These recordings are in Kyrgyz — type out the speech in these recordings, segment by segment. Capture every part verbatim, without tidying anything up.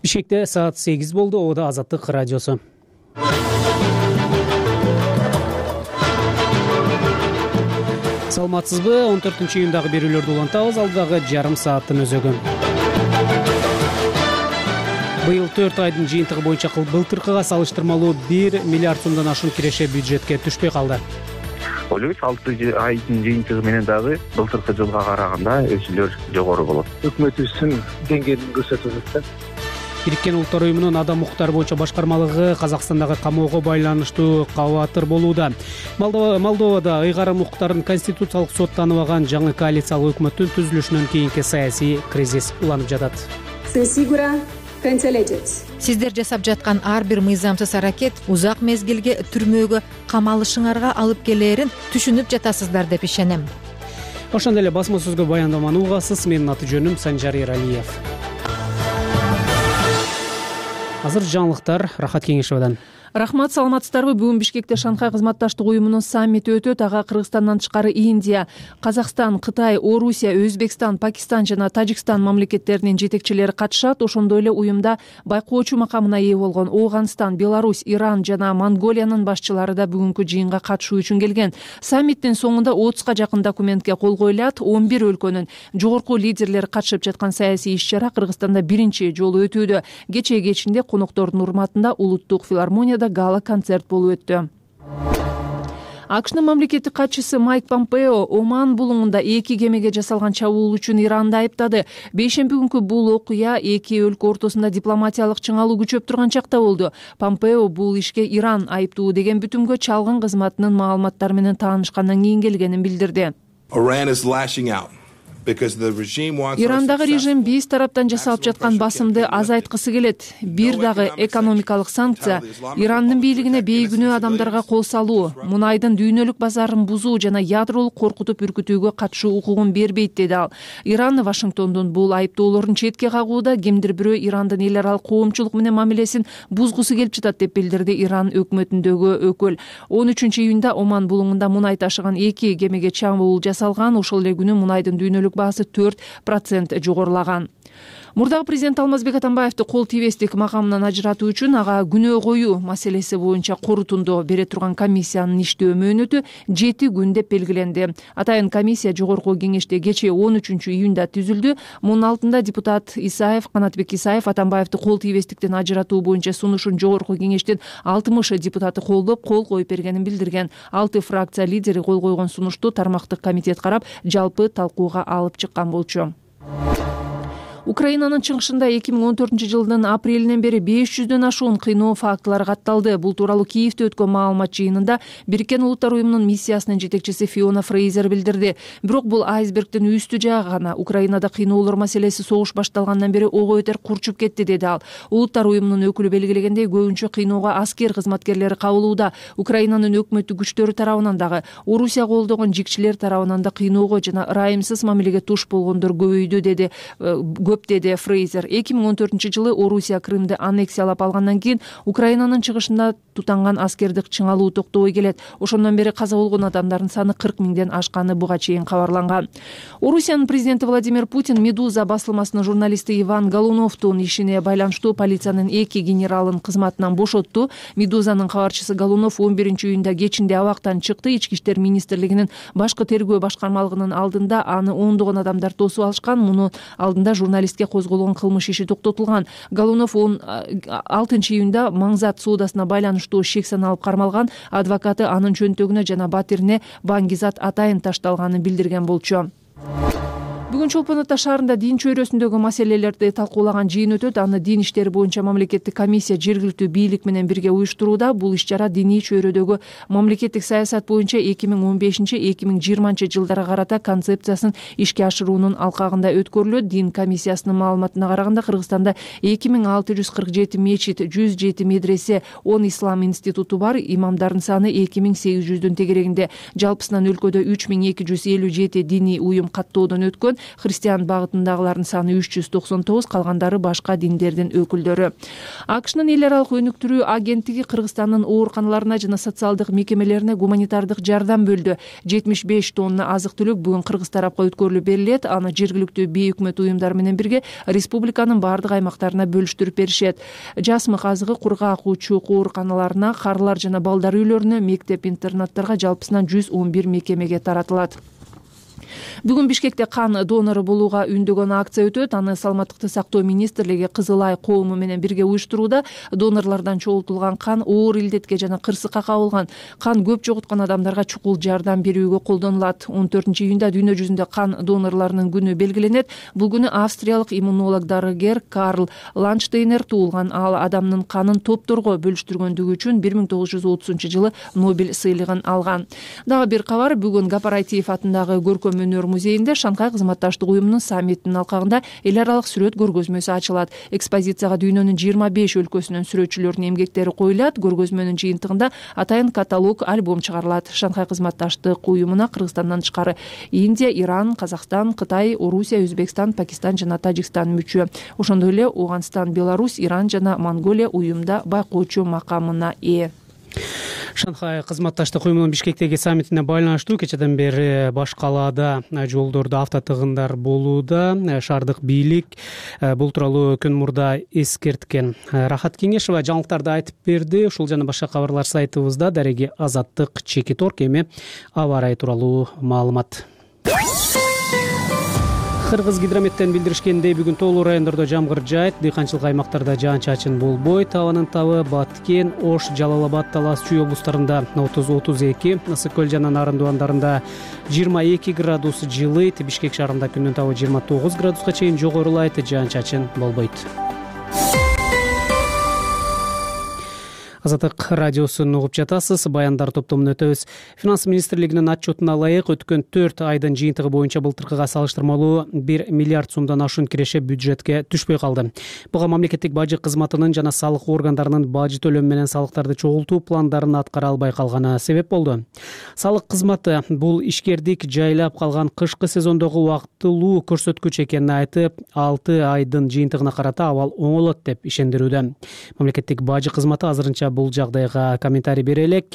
Бишкекте саат сегиз болду. Ода Азаттык радиосу. Саламатсызбы? он төртүнчү июндагы берүүлөрдү улантабыз. Алдагы жарым сааттын өзөгү. Быйыл төрт айдын жыйынтыгы боюнча былтыркыга салыштырмалуу бир миллиард сомдон ашуун киреше бюджетке түшпөй калды. Ойлойбуз алты айдын жыйынтыгы менен дагы былтыркы жылга караганда өсүүлөр жогору болот. Өкмөтүбүздүн деңгээлин көрсөтүп атат. Бириккен Улуттар уюмунун адам укуктары боюнча башкармалыгы Казакстандагы камоого байланыштуу кабатыр болууда. Молдовада ыйгарым укуктарын конституциялык сот тааныбаган жаңы коалициялык өкмөттүн түзүлүшүнөн кийинки саясий кризис уланып жатат. Сиздер жасап жаткан ар бир мыйзамсыз аракет узак мезгилге түрмөгө камалышыңарга алып келээрин түшүнүп жатасыздар деп ишенем. Ошондой эле басма сөзгө баяндаманы угасыз. Менин аты жөнүм Санжар Эралиев. Азыр жаңылыктар Рахат Кеңешовдон. Рахмат, саламатсыздарбы? Бүгүн Бишкекте Шанхай кызматташтык уюмунун саммити өтөт. Ага Кыргызстандан тышкары Индия, Казакстан, Кытай, Орусия, Өзбекстан, Пакистан жана Тажикстан мамлекеттеринин жетекчилери катышат. Ошондой эле уюмда байкоочу макамына ээ болгон Ооганстан, Беларусь, Иран жана Монголиянын башчылары да бүгүнкү жыйынга катышуу үчүн келген. Саммиттин соңунда отузга жакын документке кол коюлат. он бир өлкөнүн жогорку лидерлери катышып жаткан саясий иш-чара Кыргызстанда биринчи жолу өтүүдө. Кечээ кечинде коноктордун урматында улуттук филармонияда гала концерт болуп өттү. АКШнын мамлекеттик катчысы Майк Помпео Оман булуңунда эки кемеге жасалган чабуул үчүн Иранды айыптады. Бейшемби күнкү бул окуя эки өлкө ортосунда дипломатиялык чыңалуу күчөп турган чакта болду. Помпео бул ишке Иран айыптуу деген бүтүмгө чалгын кызматынын маалыматтары менен таанышкандан кийин келгенин билдирди. Ирандагы режим биз тараптан жасалып жаткан басымды азайткысы келет. Бир дагы экономикалык санкция, Ирандын бийлигине бейгүнөө адамдарга кол салуу, мунайдын дүйнөлүк базарын бузуу жана ядролук коркутуп үркүтүүгө катышуу укугун бербейт, деди ал. Иран Вашингтондун бул айыптоолорун четке кагууда, кимдир бирөө Ирандын эл аралык коомчулук менен мамилесин бузгусу келип жатат деп билдирди Иран өкмөтүндөгү өкүл. он үчүнчү июнда Оман булуңунда мунай ташыган эки кемеге чабуул жасалган. Ошол эле күнү мунайдын дүйнөлүк баасы төрт процент жогорулаган. Мурдагы президент Алмазбек Атамбаевди кол тийбестик макамынан ажыратуу үчүн ага күнөө коюу маселеси боюнча корутундоо бере турган комиссиянын иштөө мөөнөтү жети күн деп белгиленди. Атайын комиссия жогорку кеңеште кечээ он үчүнчү июнда түзүлдү. Мунун алдында депутат Исаев, Канатбек Исаев Атамбаевди кол тийбестиктен ажыратуу боюнча сунушун жогорку кеңештин алтымыш депутаты колдоп, кол коюп бергенин билдирген. Алты фракция лидери кол койгон сунушту тармактык комитет карап, жалпы талкууга алып чыккан болчу. Украинанын чыгышында эки миң он төртүнчү жылдын апрелинен бери беш жүздөн ашуун кыйноо фактылары катталды. Бул тууралуу Киевде өткөн маалымат жыйынында Бириккен Улуттар уюмунун миссиясынын жетекчиси Фиона Фрейзер билдирди. Бирок бул айсбергдин үстү жагы гана. Украинада кыйноолор маселеси согуш башталгандан бери ого бетер курчуп кетти, деди ал. Улуттар уюмунун өкүлү белгилегендей, көбүнчө кыйноого аскер кызматкерлери кабылууда. Украинанын өкмөттүк күчтөрү тарабынан дагы, Орусия колдогон жикчилер тарабынан да кыйноого жана ырайымсыз мамилеге туш болгондор көбөйдү, деди деди Фрейзер. эки миң он төртүнчү жылы Орусия Крымды аннексиялап алгандан кийин Украинанын чыгышында тутанган аскердик чыңалуу токтобой келет. Ошондон бери каза болгон адамдардын саны кырк миңден ашканы буга чейин кабарланган. Орусиянын президенти Владимир Путин Медуза басылмасынын журналисти Иван Голуновдун ишине байланыштуу полициянын эки генералын кызматынан бошотту. Медузанын кабарчысы Голунов он биринчи июнда кечинде абактан чыкты. Ички иштер министрлигинин башкы тергөө башкармалыгынын алдында аны ондогон адамдар тосуп алышкан. Мунун алдында журналист козголгон кылмыш иши токтотулган. Голунов он алтынчы июнда Маңзат соодасына байланыштуу шек саналып кармалган. Адвокаты анын чөнтөгүнө жана батирине баңгизат атайын ташталганын билдирген болчу. Бүгүн Чолпон Ата шаарында дин чөйрөсүндөгү маселелерди талкуулаган жыйын өтөт. Аны дин иштери боюнча мамлекеттик комиссия жергиликтүү бийлик менен бирге уюштурууда. Бул иш-чара диний чөйрөдөгү мамлекеттик саясат боюнча эки миң он бешинчи — эки миң жыйырманчы жылдарга карата концепциясын ишке ашыруунун алкагында өткөрүлөт. Дин комиссиясынын маалыматына караганда, Кыргызстанда эки миң алты жүз кырк жети мечит, жүз жети медресе, он ислам институту бар. Имамдардын саны эки миң сегиз жүздүн тегерегинде. Жалпысынан өлкөдө үч миң эки жүз элүү жети диний уюм каттоодон өткөн. Христиан багытындагылардын саны үч жүз токсон тогуз, калгандары башка диндердин өкүлдөрү. АКШнын эл аралык өнүктүрүү агенттиги Кыргызстандын ооруканаларына жана социалдык мекемелерине гуманитардык жардам бөлдү. жетимиш беш тонна азык-түлүк бүгүн Кыргыз тарапка өткөрүлүп берилет. Аны жергиликтүү бейөкмөт уюмдар менен бирге республиканын бардык аймактарына бөлүштүрүп беришет. Жасмык азыгы кургак учук ооруканаларына, карылар жана балдар үйлөрүнө, мектеп-интернаттарга жалпысынан жүз он бир мекемеге таратылат. Бүгүн Бишкекте кан донору болууга үндөгөн акция өтөт. Аны Саламаттыкты сактоо министрлиги Кызыл Ай коому менен бирге уюштурууда. Донорлордон чогултулган кан оор илдетке жана кырсыкка кабылган, кан көп жоготкон адамдарга чукул жардам берүүгө колдонулат. он төртүнчү июнда дүйнө жүзүндө кан донорлорунун күнү белгиленет. Бул күнү австриялык иммунолог дарыгер Карл Ланштейнер туулган. Ал адамдын канын топторго бөлүштүргөндүгү үчүн бир миң тогуз жүз отузунчу жылы Нобель сыйлыгын алган. Дагы бир кабар, бүгүн Гапарайтиев атындагы көркөм өнөр музейинде Шанхай кызматташтык уюмунун саммитинин алкагында эл аралык сүрөт көргөзмөсү ачылат. Экспозицияга дүйнөнүн жыйырма беш өлкөсүнүн сүрөтчүлөрүнүн эмгектери коюлат. Көргөзмөнүн жыйынтыгында атайын каталог, альбом чыгарылат. Шанхай кызматташтык уюмуна Кыргызстандан тышкары Индия, Иран, Казакстан, Кытай, Орусия, Өзбекстан, Пакистан жана Тажикстан мүчө. Ошондой эле Ооганстан, Беларусь, Иран жана Монголия уюмда байкоочу макамына ээ. Шанхай кызматташтык уюмунун Бишкектеги саммитине байланыштуу кечеден бери баш калаада жолдордо автотыгындар болууда. Шаардык бийлик бул тууралуу күн мурда эскерткен. Рахат Кеңешова жаңылыктарды айтып берди. Ушул жана башка кабарлар сайтыбызда. Дареги Азаттык, Чеки Торк. Эми аба ырайы тууралуу маалымат. Кыргыз гидрометтен билдиришкендей, бүгүн тоолуу райондордо жамгыр жаайт, дыйканчылык аймактарда жаан-чачын болбойт. Абанын табы Баткен, Ош, Жалал Абад, Талас, Чүй облустарында отуз отуз эки, Ысык көл жана Нарын Дуандарында жыйырма эки градус жылыйт. Бишкек шаарында күндүн табы жыйырма тогуз градуска чейин жогорулайт, жаан-чачын болбойт. Азаттык радиосун угуп жатасыз. Баяндар топтомун өтөбүз. Финанс министрлигинин отчетуна ылайык өткөн төрт айдын жыйынтыгы боюнча былтыркыга салыштырмалуу бир миллиард сомдон ашуун киреше бюджетке түшпөй калды. Буга мамлекеттик бажы кызматынын жана салык органдарынын бажы төлөм менен салыктарды чогултуу пландарын аткара албай калганы себеп болду. Салык кызматы бул ишкердик жайлап калган кышкы сезондогу убактылуу көрсөткүч экенин айтып, алты айдын жыйынтыгына карата абал оңолот деп ишендирүүдө. Мамлекеттик бажы кызматы азырынча бул жагдайга комментарий бере элек.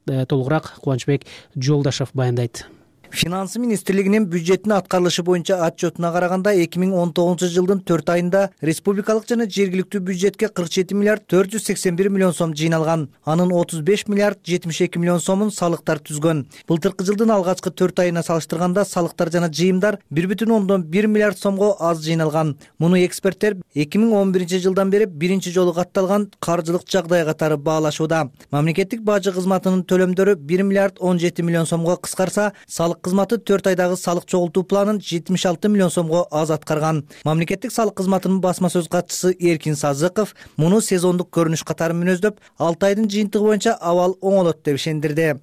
Толугураак Кубанычбек Жолдашев баяндайт. Финанс министрлигинин бюджеттин аткарылышы боюнча отчетуна караганда эки миң он тогузунчу жылдын төрт айында республикалык жана жергиликтүү бюджетке кырк жети миллиард төрт жүз сексен бир миллион сом жыйналган. Анын отуз беш миллиард жетимиш эки миллион сомун салыктар түзгөн. Былтыркы жылдын алгачкы төрт айына салыштырганда салыктар жана жыйымдар бир бүтүн ондон бир миллиард сомго аз жыйналган. Муну эксперттер эки миң он биринчи жылдан бери биринчи жолу катталган каржылык жагдай катары баалашууда. Мамлекеттик бажы кызматынын төлөмдөрү бир миллиард он жети миллион сомго кыскарса, салык кызматы төрт айдагы салык чогултуу планын жетимиш алты миллион сомго аз аткарган. Мамлекеттик салык кызматынын басма сөз катчысы Эркин Сазыков муну сезондук көрүнүш катары мүнөздөп, алты айдын жыйынтыгы боюнча абал оңолот деп ишендирди.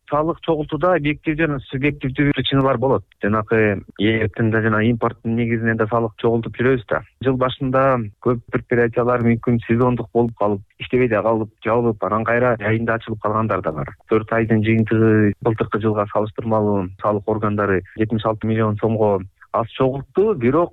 Салык чогултууда объектив жана субъективдүү причиналар болот. Жанагы эртинде жана импорттун негизинен да салык чогултуп жүрөбүз да. Жыл башында көп предприятиялар мүмкүн сезондук болуп калып, иштебей да калып, жабылып, анан кайра айында ачылып калгандар да бар. төрт айдын жыйынтыгы былтыркы жылга салыштырмалуу салык органдары жетимиш алты миллион сомго аз чогултту, бирок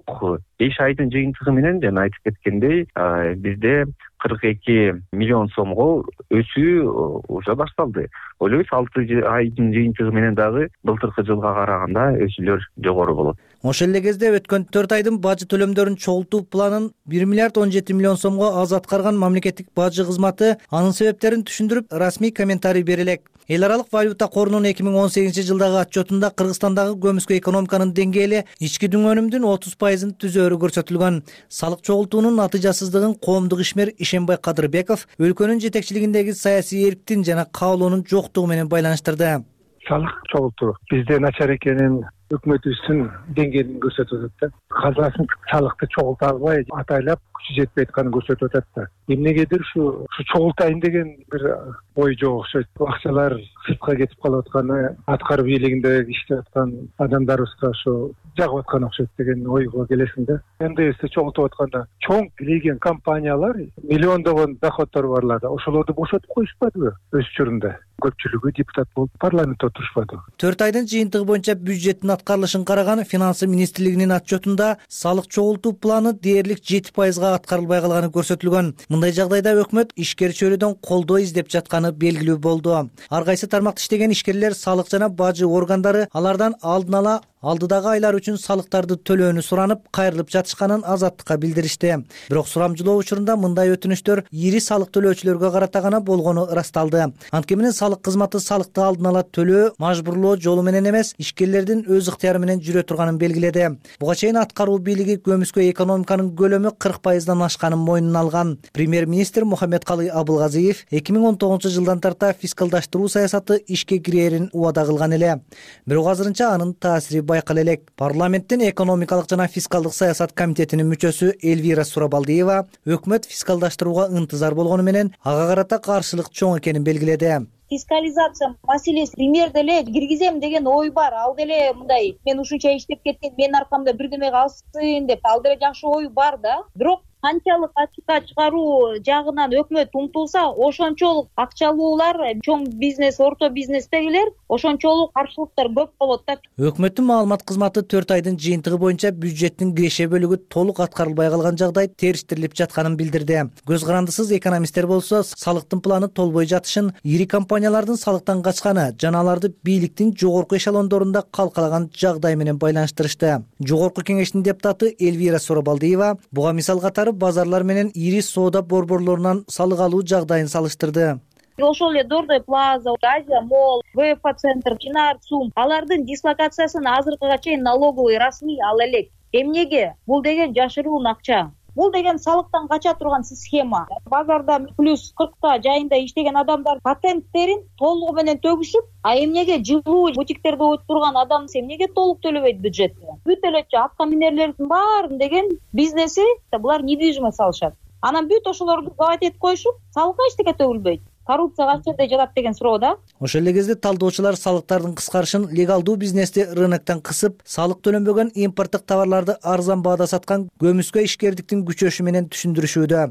беш айдын жыйынтыгы менен жана айтып кеткендей, бизде кырк эки миллион сомго өсүү уже башталды. Ойлойбуз алты айдын жыйынтыгы менен дагы былтыркы жылга караганда өсүүлөр жогору болот. Ошол эле кезде өткөн төрт айдын бажы төлөмдөрүн чогултуу планын бир миллиард он жети миллион сомго аз аткарган мамлекеттик бажы кызматы анын себептерин түшүндүрүп, расмий комментарий бере элек. Эл аралык валюта корунун эки миң он сегизинчи жылдагы отчетунда Кыргызстандагы көмүскө экономиканын деңгээли ички дүңөнүмдүн отуз пайызын түзөөрү көрсөтүлгөн. Салык чогултуунун натыйжасыздыгын коомдук ишмер Ишенбай Кадырбеков өлкөнүн жетекчилигиндеги саясий эрктин жана каалоонун жоктугу менен байланыштырды. Салык чогултуу бизде начар экенин өкмөтүбүздүн деңгээлин көрсөтүп атат да. Казасын салыкты чогулта албай, атайлап күчү жетпей атканын көрсөтүп атат да. Эмнегедир ушу чогултайын деген бир ой жок окшойт. Акчалар сыртка кетип калып атканы, аткаруу бийлигинде иштеп аткан адамдарыбызга ошо жагып аткан окшойт деген ойго келесиң да. эн дэ эсти чогултуп атканда чоң кирген компаниялар, миллиондогон доходдору барлар да ошолорду бошотуп коюшпадыбы өз учурунда? көпчүлүгү депутат болуп парламентте отурушпады. төрт айдын жыйынтыгы боюнча бюджеттин аткарылышын караган Финансы министрлигинин отчетунда салык чогултуу планы дээрлик жети пайызга аткарылбай калганы көрсөтүлгөн. Мындай жагдайда өкмөт ишкер чөйрөдөн колдоо издеп жатканы белгилүү болду. Ар кайсы тармакта иштеген ишкерлер салык жана бажы органдары алардан алдын ала алдыдагы айлар үчүн салыктарды төлөөнү суранып, кайрылып жатышканын Азаттыкка билдиришти. Бирок сурамжылоо учурунда мындай өтүнүчтөр ири салык төлөөчүлөргө карата гана болгону ырасталды. Анткени менен салык кызматы салыкты алдын ала төлөө мажбурлоо жолу менен эмес, ишкерлердин өз ыктыяры менен жүрө турганын белгиледи. Буга чейин аткаруу бийлиги көмүскө экономиканын көлөмү кырк пайыздан ашканын мойнуна алган. Премьер-министр Мухаммедкалый Абылгазиев эки миң он тогузунчу жылдан тарта фискалдаштыруу саясаты ишке кирээрин убада кылган эле. Бирок азырынча анын таасири байкала элек. Парламенттин экономикалык жана фискалдык саясат комитетинин мүчөсү Эльвира Сурабалдиева өкмөт фискалдаштырууга ынтызар болгону менен ага карата каршылык чоң экенин белгиледи. Фискализация маселеси пример деле киргизем деген ой бар. Ал деле мындай мен ушунча иштеп кеттим, менин аркамда бир деме калсын деп ал деле жакшы ой бар да. Бирок канчалык ачыкка чыгаруу жагынан өкмөт умтулса, ошончолук акчалуулар чоң бизнес, орто бизнестегилер ошончолук каршылыктар көп болот да. Өкмөттүн маалымат кызматы төрт айдын жыйынтыгы боюнча бюджеттин киреше бөлүгү толук аткарылбай калган жагдай териштирилип жатканын билдирди. Көз карандысыз экономисттер болсо салыктын планы толбой жатышын, ири компаниялардын салыктан качканы жана аларды бийликтин жогорку эшелондорунда калкалаган жагдай менен байланыштырышты. Жогорку кеңештин депутаты Эльвира Сурабалдиева буга мисал катары базарлар менен ири соода борборлорунан салык алуу жагдайын салыштырды. Ошол эле Дордой Плаза, Азия Молл, ВФ центр, Чинар Сум алардын дислокациясын азыркыга чейин налоговый расмий ала элек. Эмнеге? Бул деген жашыруун акча. Бул деген салыктан кача турган схема. Базарда плюс кыркта жайында иштеген адамдар патенттерин толугу менен төгүшүп, а эмнеге жылуу бутиктерде өтүп турган адам эмнеге толук төлөбөйт бюджетке? Бүт эле аткаминерлердин баарын деген бизнеси булар недвижимость салышат. Анан бүт ошолорду гавайт этип коюшуп, салыкка эчтеке төгүлбөйт. Коррупция кайсы жерде жатат деген суроо да. Ошол эле кезде талдоочулар салыктардын кыскарышын легалдуу бизнести рыноктон кысып, салык төлөнбөгөн импорттук товарларды арзан баада саткан көмүскө ишкердиктин күчөшү менен түшүндүрүшүүдө.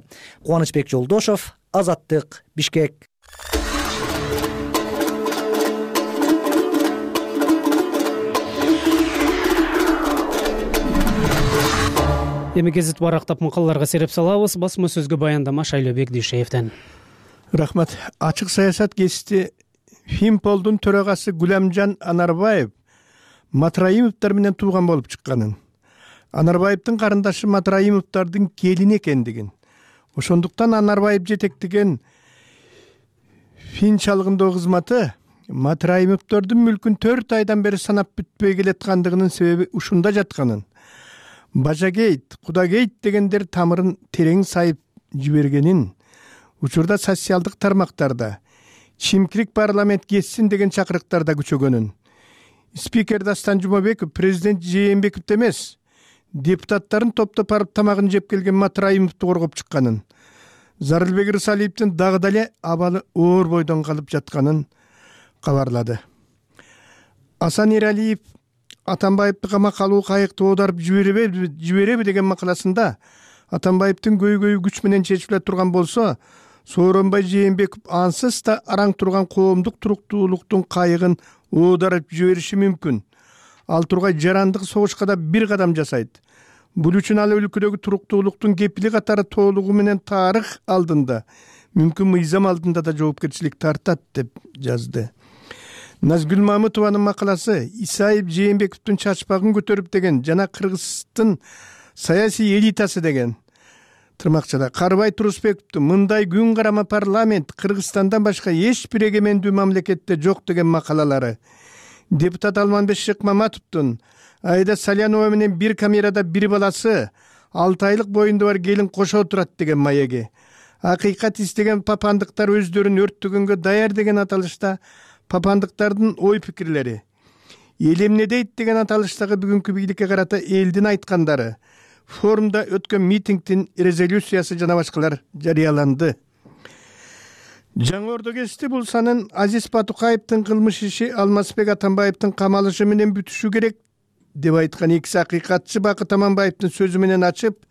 Кубанычбек Жолдошов, Азаттык, Бишкек. Эми гезит барактап макалаларга сереп салабыз. Басма сөзгө баяндама Шайлоо Бекдишевден. Рахмат. Ачык саясат кести Финполдун төрагасы Гүлөмжан Анарбаев Матраимовдор менен тууган болуп чыкканын, Анарбаевдин карындашы Матраимовдордун келини экендигин, ошондуктан Анарбаев жетектеген Фин чалгындоо кызматы Матраимовдордун мүлкүн төрт айдан бери санап бүтпөй келаткандыгынын себеби ушунда жатканын, Бажагейт, Кудагейт дегендер тамырын терең сайып жибергенин, учурда социалдык тармактарда чимкирик парламент кетсин деген чакырыктарда күчөгөнүн, спикер Дастан Жумабеков президент Жээнбековду эмес, депутаттарын топтоп барып тамагын жеп келген Матраимовду коргоп чыкканын, Зарылбек Рысалиевдин дагы деле абалы оор бойдон калып жатканын кабарлады. Асан Эралиев Атамбаевди камакка алуу кайыкты оодарып жибереби жибереби деген макаласында Атамбаевдин көйгөйү күч менен чечиле турган болсо, Сооронбай Жээнбеков ансыз да араң турган коомдук туруктуулуктун кайыгын оодарып жибериши мүмкүн. Ал тургай жарандык согушка да бир кадам жасайт. Бул үчүн ал өлкөдөгү туруктуулуктун кепили катары толугу менен тарых алдында, мүмкүн мыйзам алдында да жоопкерчилик тартат деп жазды. Назгүл Мамытованын макаласы Исаев Жээнбековдун чачпагын көтөрүп деген жана Кыргыздын саясий элитасы деген тырмакчада Карбай Турусбековду мындай күн карама парламент Кыргызстандан башка эч бир эгемендүү мамлекетте жок деген макалалары, депутат Алманбек Шыкмаматовдун Айда Салянова менен бир камерада бир баласы алты айлык боюнда бар келин кошо турат деген маеги, акыйкат издеген папандыктар өздөрүн өрттөгөнгө даяр деген аталышта папандыктардын ой пикирлери, эл эмне дейт деген аталыштагы бүгүнкү бийликке карата элдин айткандары, форумда өткөн митингдин резолюциясы жана башкалар жарыяланды. Жаңы Ордо кести бул санын Азиз Батукаевдин кылмыш иши Алмазбек Атамбаевдин камалышы менен бүтүшү керек деп айткан экиси акыйкатчы Бакыт Аманбаевдин сөзү менен ачып,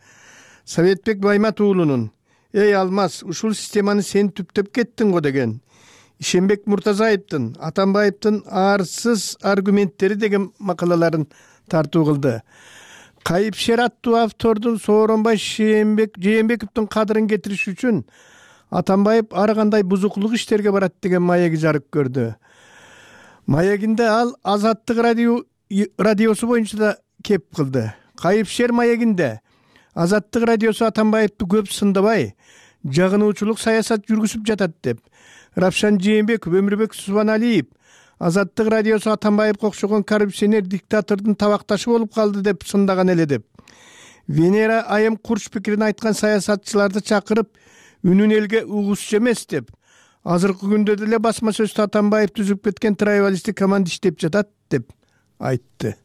Советбек Баймат уулунун «Эй Алмаз, ушул системаны сен түптөп кеттиң го» деген Ишенбек Муртазаевдин Атамбаевдин арсыз аргументтери деген макалаларын тартуу кылды. Кайыпшер аттуу автордун Сооронбай Жээнбековдун кадырын кетириш үчүн Атамбаев ар кандай бузуклук иштерге барат деген маеги жарык көрдү. Маегинде ал Азаттык радио радиосу боюнча да кеп кылды. Кайыпшер маегинде Азаттык радиосу Атамбаевди көп сындабай, жагынуучулук саясат жүргүзүп жатат деп, Рапшан Жээнбеков, Өмүрбек Субаналиев Азаттык радиосу Атамбаевге окшогон коррупционер диктатордун табакташы болуп калды деп сындаган эле деп. Венера Айым курч пикирин айткан саясатчыларды чакырып, үнүн элге угузчу эмес деп, азыркы күндө деле басма сөздө Атамбаев түзүп кеткен травиалисттик команда иштеп жатат деп айтты.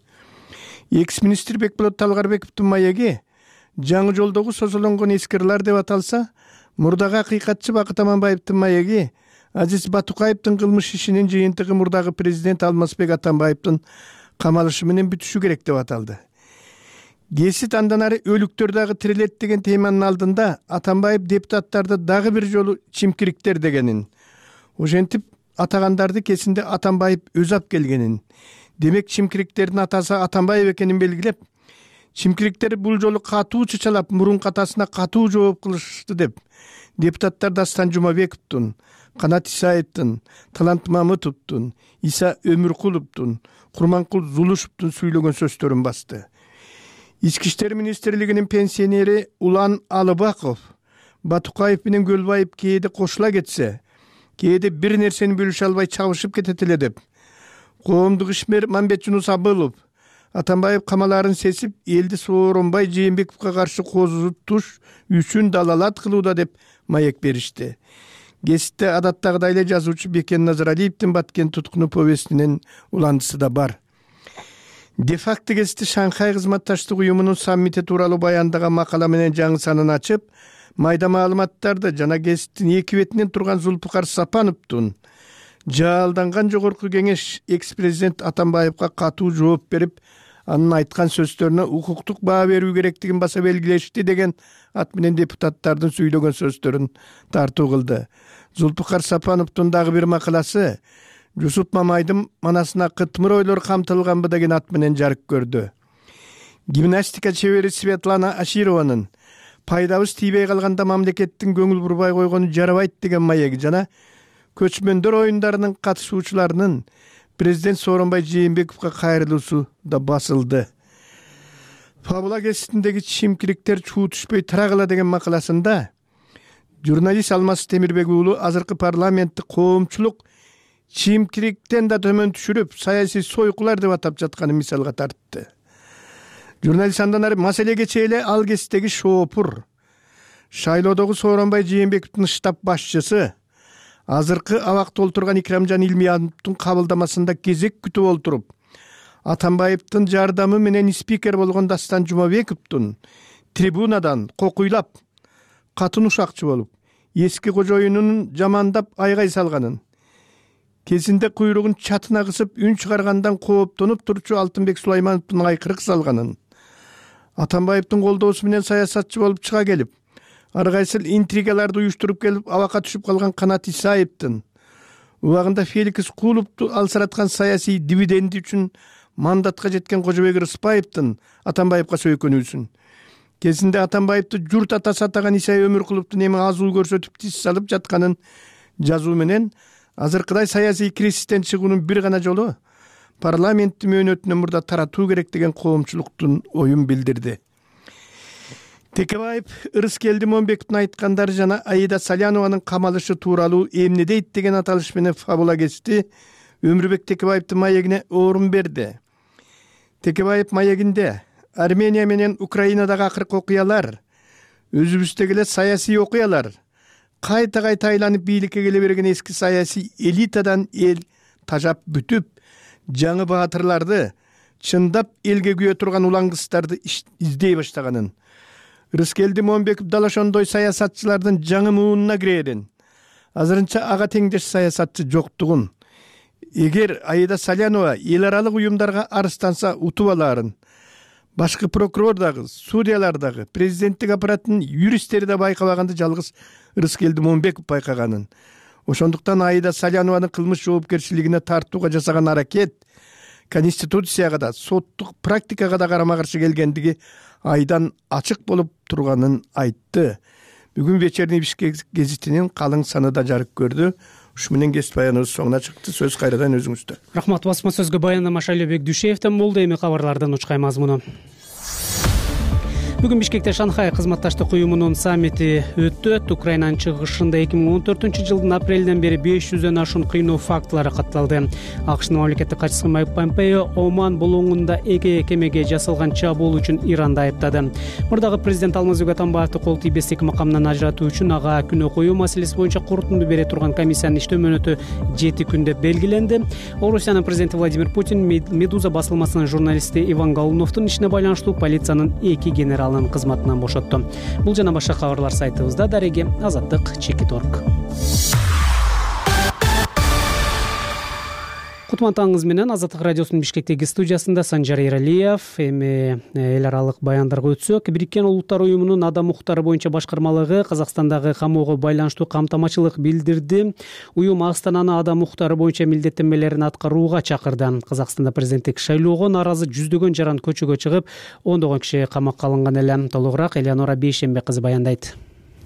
Экс-министр Бекболот Талгарбековдун маеги жаңы жолдогу созолонгон эскирлар деп аталса, мурдагы акыйкатчы Бакыт Аманбаевдин маеги Азиз Батукаевдин кылмыш ишинин жыйынтыгы мурдагы президент Алмазбек Атамбаевдин камалышы менен бүтүшү керек деп аталды. Кесит андан ары өлүктөр дагы тирилет деген теманын алдында Атамбаев депутаттарды дагы бир жолу чимкириктер дегенин, ошентип атагандарды кесинде Атамбаев өзү алып келгенин, демек чимкириктердин атасы Атамбаев экенин белгилеп, чимкириктер бул жолу катуу чычалап, мурунку атасына катуу жооп кылышты деп, депутаттар Дастан Жумабековдун, Канат Исаевдин, Талант Мамытовдун, Иса Өмүркуловдун, Курманкул Зулушевдун сүйлөгөн сөздөрүн басты. Ички иштер министрлигинин пенсионери Улан Алыбаков Батукаев менен Көлбаев кээде кошула кетсе, кээде бир нерсени бөлүшө албай чабышып кетет эле деп, коомдук ишмер Мамбет Жунус Абылов Атамбаев камаларын сесип, элди Сооронбай Жээнбековго каршы козутуш үчүн далалат кылууда деп маек беришти. Геситте адаттагыдай эле жазуучу Бекен Назаралиевдин Баткен туткуну повестинин уландысы да бар. Де-факто гезити Шанхай кызматташтык уюмунун саммити тууралуу баяндаган макала менен жаңы санын ачып, майда маалыматтарды жана гезиттин эки бетинен турган Зулпукар Сапановдун жаалданган жогорку кеңеш экс-президент Атамбаевга катуу жооп берип, анын айткан сөздөрүнө укуктук баа берүү керектигин баса белгилешти деген ат менен депутаттардын сүйлөгөн сөздөрүн тартуу кылды. Зулпукар Сапановдун дагы бир макаласы Жусуп Мамайдын манасына кытмыр ойлор камтылганбы деген ат менен жарык көрдү. Гимнастика чебери Светлана Ашированын пайдабыз тийбей калганда мамлекеттин көңүл бурбай койгону жарабайт деген маеги жана көчмөндөр оюндарынын катышуучуларынын президент Сооронбай Жээнбековго кайрылуусу да басылды. Фабула гезитиндеги чимкириктер чуу түшпөй тарагыла деген макаласында журналист Алмаз Темирбек уулу азыркы парламентти коомчулук чимкириктен да төмөн түшүрүп, саясий сойкулар деп атап жатканын мисалга тартты. Журналист андан ары маселеге чейли ал кездеги шоопур, шайлоодогу Сооронбай Жээнбековдун штаб башчысы азыркы абакта олтурган Икрамжан Илмияновдун кабылдамасында кезек күтүп олтуруп, Атамбаевдин жардамы менен спикер болгон Дастан Жумабековдун трибунадан кокуйлап, катын ушакчы болуп, эски кожоюнун жамандап айгай салганын, кезинде куйругун чатына кысып үн чыгаргандан кооптонуп турчу Алтынбек Сулаймановдун айкырык салганын, Атамбаевдин колдоосу менен саясатчы болуп чыга келип, ар кайсыл интригаларды уюштуруп келип абакка түшүп калган Канат Исаевдин, убагында Феликс Кулупту алсыраткан саясий дивиденди үчүн мандатка жеткен Кожобек Рыспаевдин Атамбаевга сөйкөнүүсүн, кезинде Атамбаевди журт атасы атаган Иса Өмүркуловдун эми азуу көрсөтүп тис салып жатканын жазуу менен азыркыдай саясий кризистен чыгуунун бир гана жолу парламенттин мөөнөтүнөн мурда таратуу керек деген коомчулуктун оюн билдирди. Текебаев Ырыскелди Момбековдун айткандары жана Аида Салянованын камалышы тууралуу эмне дейт деген аталыш менен Фабула гезити Өмүрбек Текебаевдин маегине орун берди. Текебаев маегинде Армения менен Украинадагы акыркы окуялар, өзүбүздөгү эле саясий окуялар, кайта кайта айланып бийликке келе берген эски саясий элитадан эл тажап бүтүп, жаңы баатырларды, чындап элге күйө турган улаңгыстарды издей баштаганын, Ырыскелди Момбеков дал ошондой саясатчылардын жаңы муунуна кирээрин, азырынча ага теңдеш саясатчы жоктугун, эгер Аида Салянова эл аралык уюмдарга арызданса утуп алаарын, башкы прокурор дагы, судьялар дагы, президенттик аппараттын юристтери да байкабаганды жалгыз Ырыскелди Момбеков байкаганын, ошондуктан Аида Салянованы кылмыш жоопкерчилигине тартууга жасаган аракет конституцияга да соттук практикага да карама каршы келгендиги айдан ачык болуп турганын айтты. Бүгүн вечерний Бишкек гезитинин калың саны да жарык көрдү. Ушу менен кесип баяныбыз соңуна чыкты. Сөз кайрадан өзүңүздө. Рахмат. Басма сөзгө баяндама Шайлообек Дүйшеевден болду. Эми кабарлардын учкай мазмуну. Бүгүн Бишкекте Шанхай кызматташтык уюмунун саммити өтөт. Украинанын чыгышында эки миң он төртүнчү жылдын апрелинен бери беш жүздөн ашуун кыйноо фактылары катталды. АКШнын мамлекеттик катчысы Майк Помпео Оман булуңунда эки кемеге жасалган чабуул үчүн Иранды айыптады. Мурдагы президент Алмазбек Атамбаевди кол тийбестик макамынан ажыратуу үчүн ага күнөө коюу маселеси боюнча корутунду бере турган комиссиянын иштөө мөөнөтү жети күндө белгиленди. Орусиянын президенти Владимир Путин Медуза басылмасынын журналисти Иван Голуновдун ишине байланыштуу полициянын эки генералын кызматынан бошотту. Бул жана башка кабарлар сайтыбызда. Дареги Азаттык Чекит орг. Кутман таңыңыз менен Азаттык радиосунун Бишкектеги студиясында Санжар Эралиев. Эми эл аралык баяндарга өтсөк, Бириккен Улуттар уюмунун адам укуктары боюнча башкармалыгы Казакстандагы камоого байланыштуу камтамачылык билдирди. Уюм Астананы адам укуктары боюнча милдеттенмелерин аткарууга чакырды. Казакстанда президенттик шайлоого нааразы жүздөгөн жаран көчөгө чыгып, ондогон киши камакка алынган эле. Толугураак Элеонора Бейшембе кызы баяндайт.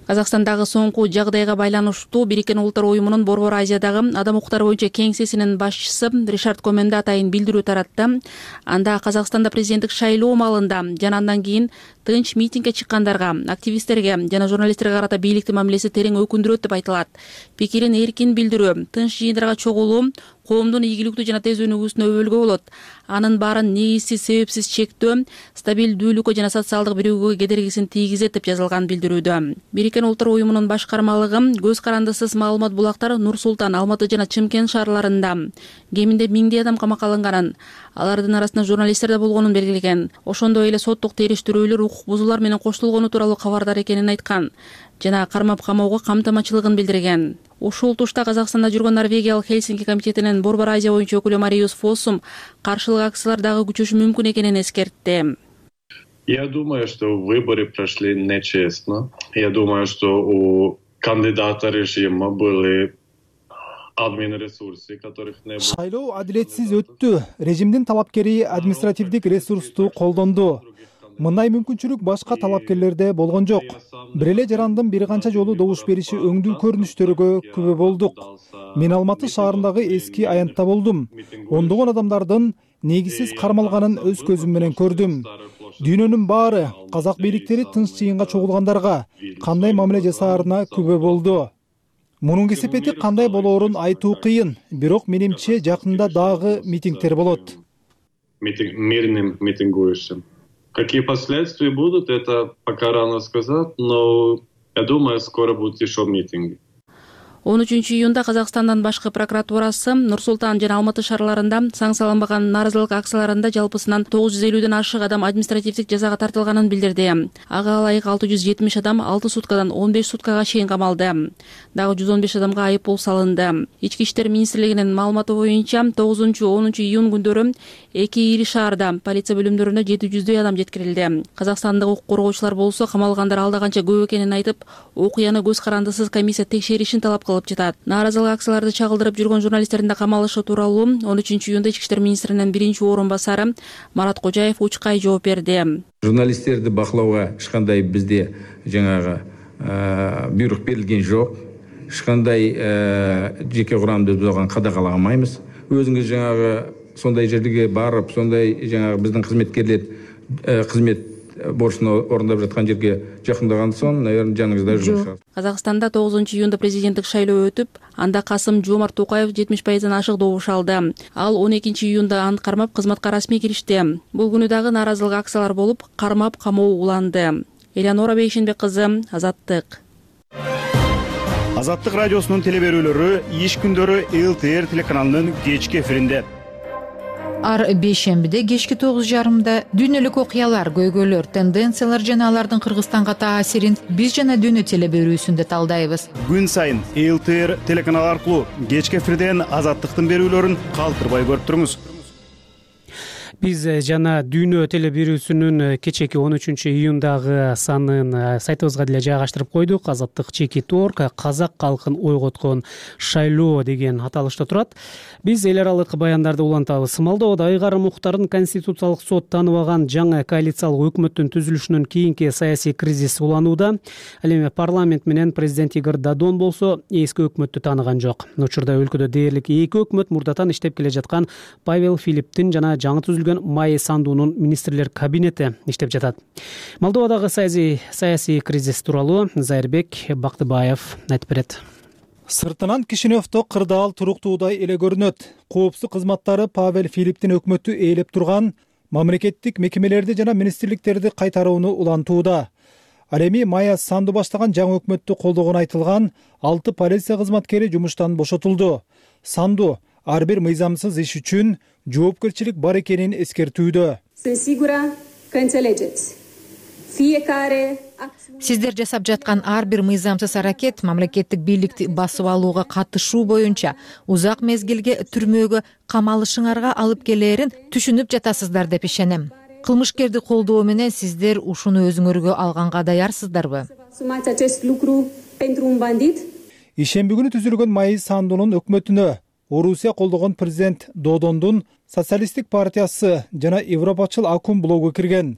Казакстандагы соңку жагдайга байланыштуу Бириккен Улуттар уюмунун Борбор Азиядагы адам укуктары боюнча кеңсесинин башчысы Ришард Коменде атайын билдирүү таратты. Анда Казакстанда президенттик шайлоо маалында жана андан кийин тынч митингге чыккандарга, активисттерге жана журналисттерге карата бийликтин мамилеси терең өкүндүрөт деп айтылат. Пикирин эркин билдирүү, тынч жыйындарга чогулуу коомдун ийгиликтүү жана тез өнүгүүсүнө өбөлгө болот. Анын баарын негизсиз, себепсиз чектөө стабилдүүлүккө жана социалдык биригүүгө кедергисин тийгизет деп жазылган билдирүүдө. Бириккен Улуттар уюмунун башкармалыгы көз карандысыз маалымат булактар Нур Султан, Алматы жана Чымкент шаарларында кеминде миңдей адам камакка алынганын, алардын арасында журналисттер да болгонун белгилеген. Ошондой эле соттук териштирүүлөр, укук бузуулар менен коштолгону тууралуу кабардар экенин айткан жана кармап камоого камтамачылыгын билдирген. Ушул тушта Казакстанда жүргөн Норвегиялык Хельсинки комитетинин Борбор Азия боюнча өкүлү Мариус Фоссум каршылык акциялар дагы күчөшү мүмкүн экенин эскертти. Я думаю, что выборы прошли нечестно. Я думаю, что у кандидата режима были админресурсы, которых не было. Шайлоо адилетсиз өттү. Режимдин талапкери административдик ресурсту колдонду. Мындай мүмкүнчүлүк башка талапкерлерде болгон жок. Бир эле жарандын бир канча жолу добуш бериши өңдүү көрүнүштөргө күбө болдук. Мен Алматы шаарындагы эски аянтта болдум. Ондогон адамдардын негизсиз кармалганын өз көзүм менен көрдүм. Дүйнөнүн баары казак бийликтери тынч жыйынга чогулгандарга кандай мамиле жасаарына күбө болду. Мунун кесепети кандай болоорун айтуу кыйын, бирок менимче жакында дагы митингдер болот. Мирным митингующим. Какие последствия будут, это пока рано сказать, но я думаю, скоро будут еще митинги. он үчүнчү июнда Казакстандын башкы прокуратурасы Нур Султан жана Алматы шаарларында саң салынбаган нааразылык акцияларында жалпысынан тогуз жүз элүүдөн ашык адам административдик жазага тартылганын билдирди. Ага ылайык алты жүз жетимиш адам алты суткадан он беш суткага чейин камалды. Дагы жүз он беш адамга айыппул салынды. Ички иштер министрлигинин маалыматы боюнча тогузунчу онунчу июнь күндөрү эки ири шаарда полиция бөлүмдөрүнө жети жүздөй адам жеткирилди. Казакстандык укук коргоочулар болсо камалгандар алда канча көп экенин айтып, окуяны көз карандысыз комиссия текшеришин талап кылып жатат. Нааразылык акцияларды чагылдырып жүргөн журналисттердин да камалышы тууралуу он үчүнчү июнда ички иштер министринин биринчи орун басары Марат Кожаев учкай жооп берди. Журналисттерди бакылоого эч кандай бизде жаңагы буйрук берилген жок. Эч кандай жеке курамды бузган кадагаламайбыз. Өзүңүз жаңагы сондай жерге барып, сондай жаңагы биздин кызметкерлер кызмет борчун орундап жаткан жерге жакындагандан соң, наверное, жаныңызда жүрүшөт. Казакстанда тогузунчу июнда президенттик шайлоо өтүп, анда Касым Жомарт Токаев жетимиш пайыздан ашык добуш алды. Ал он экинчи июнда аны кармап кызматка расмий киришти. Бул күнү дагы нааразылык акциялар болуп, кармап камоо уланды. Элеонора Бейшембе кызы, Азаттык. Азаттык радиосунун телеберүүлөрү иш күндөрү эл тэ эр телеканалынын кечки эфиринде. Ар бейшембиде кечки тогуз жарымда дүйнөлүк окуялар, көйгөйлөр, тенденциялар жана алардын Кыргызстанга таасирин биз жана дүйнө телеберүүсүндө талдайбыз. Күн сайын эл тэ эр телеканалы аркылуу кечки эфирден Азаттыктын берүүлөрүн калтырбай көрүп туруңуз. Биз жана Дүйнө теле берүүсүнүн кечээки он үчүнчү июндагы санын сайтыбызга деле жайгаштырып койдук. Азаттык чекит орг казак калкын ойготкон шайлоо деген аталышта турат. Биз эл аралык баяндарды улантабыз. Молдовада ыйгарым укуктарын Конституциялык сот тааныбаган жаңы коалициялык өкмөттүн түзүлүшүнөн кийинки саясий кризис уланууда. Ал эми парламент менен президент Игорь Додон болсо эски өкмөттү тааныган жок. Учурда өлкөдө дээрлик эки өкмөт мурдатан иштеп келе жаткан Павел Филипптин жана жаңы түзүлгөн Майя Сандунун министрлер кабинети иштеп жатат. Молдовадагы саясий саясий кризис тууралуу Зайырбек Бактыбаев айтып берет. Сыртынан Кишиневдо кырдаал туруктуудай эле көрүнөт. Коопсуздук кызматтары Павел Филипптин өкмөтү ээлеп турган мамлекеттик мекемелерди жана министрликтерди кайтарууну улантууда. Ал эми Майя Санду баштаган жаңы өкмөттү колдогону айтылган алты полиция кызматкери жумуштан бошотулду. Санду ар бир мыйзамсыз иш үчүн жоопкерчилик бар экенин эскертүүдө. Сиздер жасап жаткан ар бир мыйзамсыз аракет мамлекеттик бийликти басып алууга катышуу боюнча узак мезгилге түрмөгө камалышыңарга алып келээрин түшүнүп жатасыздар деп ишенем. Кылмышкерди колдоо менен сиздер ушуну өзүңөргө алганга даярсыздарбы? Ишемби күнү түзүлгөн Майя Сандунун өкмөтүнө Орусия колдогон президент Додондун социалисттик партиясы жана Европачыл Акум блогу кирген.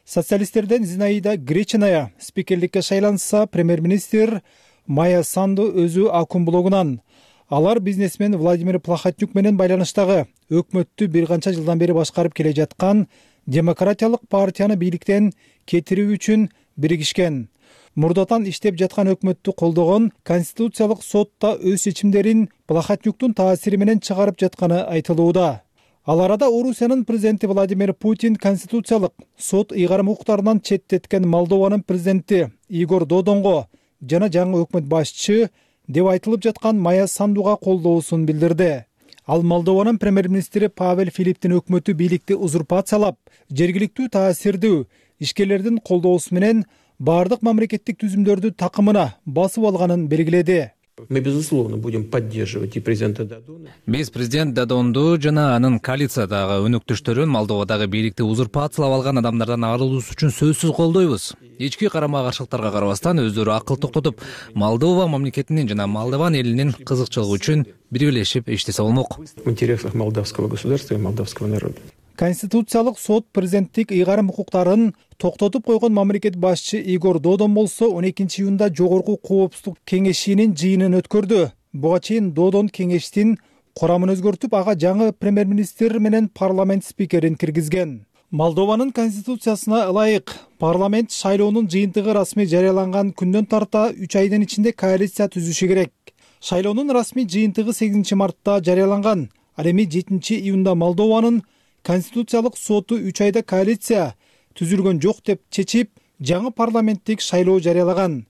Социалисттерден Зинаида Гречиная спикерликке шайланса, премьер-министр Майя Санду өзү Акум блогунан. Алар бизнесмен Владимир Плахотнюк менен байланыштагы өкмөттү бир канча жылдан бери башкарып келе жаткан демократиялык партияны бийликтен кетирүү үчүн биригишкен. Мурдатан иштеп жаткан өкмөттү колдогон Конституциялык сотта өз чечимдерин Плахотнюктун таасири менен чыгарып жатканы айтылууда. Ал арада Орусиянын президенти Владимир Путин Конституциялык сот ыйгарым укуктарынан четтеткен Молдованын президенти Игорь Додонго жана жаңы өкмөт башчы деп айтылып жаткан Майя Сандуга колдоосун билдирди. Ал Молдованын премьер-министри Павел Филипптин өкмөтү бийликти узурпациялап, жергиликтүү таасирдүү ишкерлердин колдоосу менен бардык мамлекеттик түзүмдөрдү такымына басып алганын белгиледи. Мы, безусловно, будем поддерживать и президента Додона. Биз президент Додонду жана анын коалициядагы өнөктөштөрүн Молдовадагы бийликти узурпациялап алган адамдардан арылуусу үчүн сөзсүз колдойбуз. Ички карама-каршылыктарга карабастан өздөрү акыл токтотуп, Молдова мамлекетинин жана Молдован элинин кызыкчылыгы үчүн биргелешип иштесе болмок. В интересах молдавского государства и молдавского народа. Конституциялык сот президенттик ыйгарым укуктарын токтотуп койгон мамлекет башчы Игорь Додон болсо он экинчи июнда жогорку коопсуздук кеңешинин жыйынын өткөрдү. Буга чейин Додон кеңештин курамын өзгөртүп, ага жаңы премьер-министр менен парламент спикерин киргизген. Молдованын конституциясына ылайык парламент шайлоонун жыйынтыгы расмий жарыяланган күндөн тарта үч айдын ичинде коалиция түзүшү керек. Шайлоонун расмий жыйынтыгы сегизинчи мартта жарыяланган. Ал эми жетинчи июнда Молдованын Конституциялык соту үч айда коалиция түзүлгөн жок деп чечип, жаңы парламенттик шайлоо жарыялаган.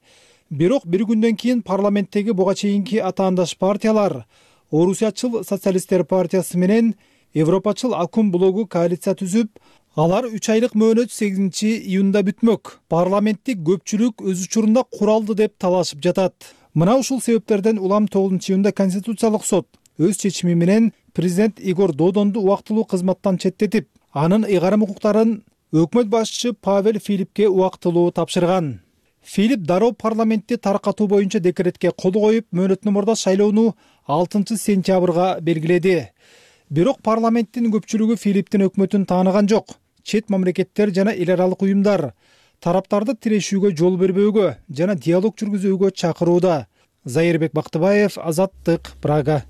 Бирок бир күндөн кийин парламенттеги буга чейинки атаандаш партиялар Орусиячыл социалисттер партиясы менен Европачыл Акум блогу коалиция түзүп, алар үч айлык мөөнөт сегизинчи июнда бүтмөк. Парламенттик көпчүлүк өз учурунда куралды деп талашып жатат. Мына ушул себептерден улам тогузунчу июнда Конституциялык сот өз чечими менен президент Игорь Додонду убактылуу кызматтан четтетип, анын ыйгарым укуктарын өкмөт башчы Павел Филиппке убактылуу тапшырган. Филипп дароо парламентти таркатуу боюнча декретке кол коюп, мөөнөттөн мурда шайлоону алтынчы сентябрга белгиледи. Бирок парламенттин көпчүлүгү Филипптин өкмөтүн тааныган жок. Чет мамлекеттер жана эл аралык уюмдар тараптарды тирешүүгө жол бербөөгө жана диалог жүргүзүүгө чакырууда. Зайырбек Бактыбаев, Азаттык, Прага.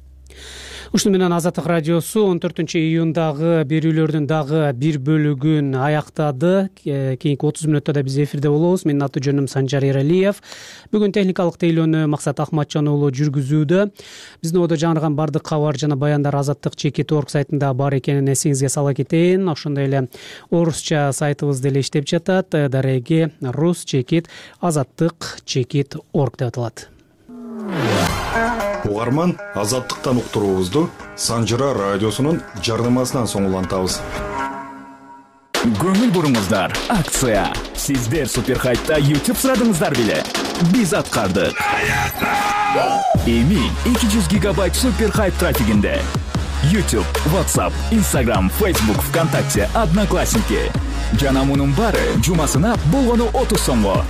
Ушуну менен Азаттык радиосу он төртүнчү июндагы берүүлөрдүн дагы бир бөлүгүн аяктады. Кийинки отуз мүнөттө да биз эфирде болобуз. Менин аты жөнүм Санжар Эралиев. Бүгүн техникалык тейлөөнү Максат Ахматжан уулу жүргүзүүдө. Биздин одо жаңырган бардык кабар жана баяндар Азаттык чекит орг сайтында бар экенин эсиңизге сала кетейин. Ошондой эле орусча сайтыбыз деле иштеп жатат. Дареги рус чекит азаттык чекит орг деп аталат. Угарман, азаттыктан уктуруубузду Санжыра радиосунун жардамасынан соң улантабыз. Көңүл буруңуздар, акция. Сиздер Суперхайтта YouTube сурадыңыздар беле? Биз аткардык. Эми эки жүз гигабайт Суперхайт трафигинде YouTube, WhatsApp, Instagram, Facebook, ВКонтакте, Одноклассники. Жана мунун баары жумасына болгону отуз сомго.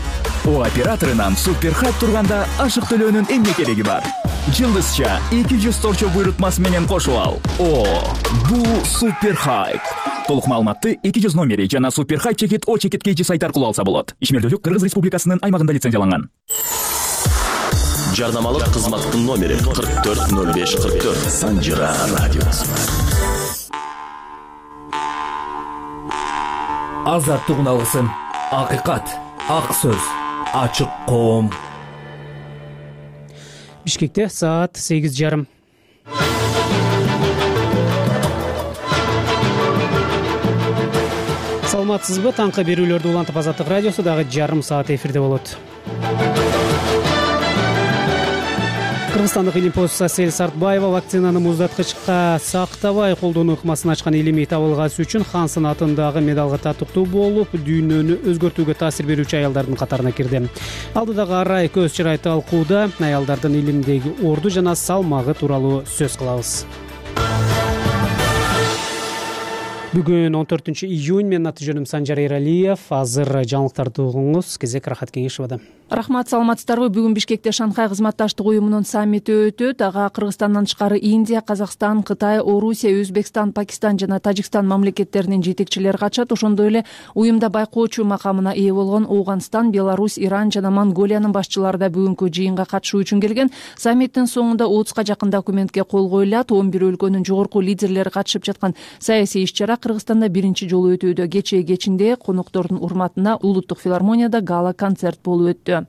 О операторунан супер хайп турганда ашык төлөөнүн эмне кереги бар? Жылдызча эки жүз торчо буйрутмасы менен кошуп ал. О, бул супер хайп. Толук маалыматты эки жүз номери жана супер хайп чекит о чекит kg сайт аркылуу алса болот. Ишмердүүлүк Кыргыз Республикасынын аймагында лицензияланган. Жарнамалык кызматтын номери кырк төрт ноль беш кырк төрт. Санжира радиосу. Азаттык алгысын, акыйкат, ак сөз, ачык коом. Бишкекте саат сегиз жарым. Саламатсызбы? Таңкы берүүлөрдү улантып Азаттык радиосу дагы жарым саат эфирде болот. Кыргызстандык илимпоз Асель Сартбаева вакцинаны муздаткычка сактабай колдонуу ыкмасын ачкан илимий табылгасы үчүн Хан санатындагы медалга татыктуу болуп, дүйнөнү өзгөртүүгө таасир берүүчү аялдардын катарына кирди. Алдыдагы арай көз чырай талкууда аялдардын илимдеги орду жана салмагы тууралуу сөз кылабыз. Бүгүн он төртүнчү июнь, менин аты жөнүм Санжар Эралиев. Азыр жаңылыктарды угуңуз. Кезек Рахат Кеңешевада. Рахмат, саламатсыздарбы? Бүгүн Бишкекте Шанхай кызматташтык уюмунун саммити өтөт. Ага Кыргызстандан тышкары Индия, Казакстан, Кытай, Орусия, Өзбекстан, Пакистан жана Тажикстан мамлекеттеринин жетекчилери катышат. Ошондой эле уюмда байкоочу макамына ээ болгон Ооганстан, Беларусь, Иран жана Монголиянын башчылары да бүгүнкү жыйынга катышуу үчүн келген. Саммиттин соңунда отузга жакын документке кол коюлат. он бир өлкөнүн жогорку лидерлери катышып жаткан саясий иш-чара Кыргызстанда биринчи жолу өтүүдө. Кечээ кечинде коноктордун урматына улуттук филармонияда гала концерт болуп өттү.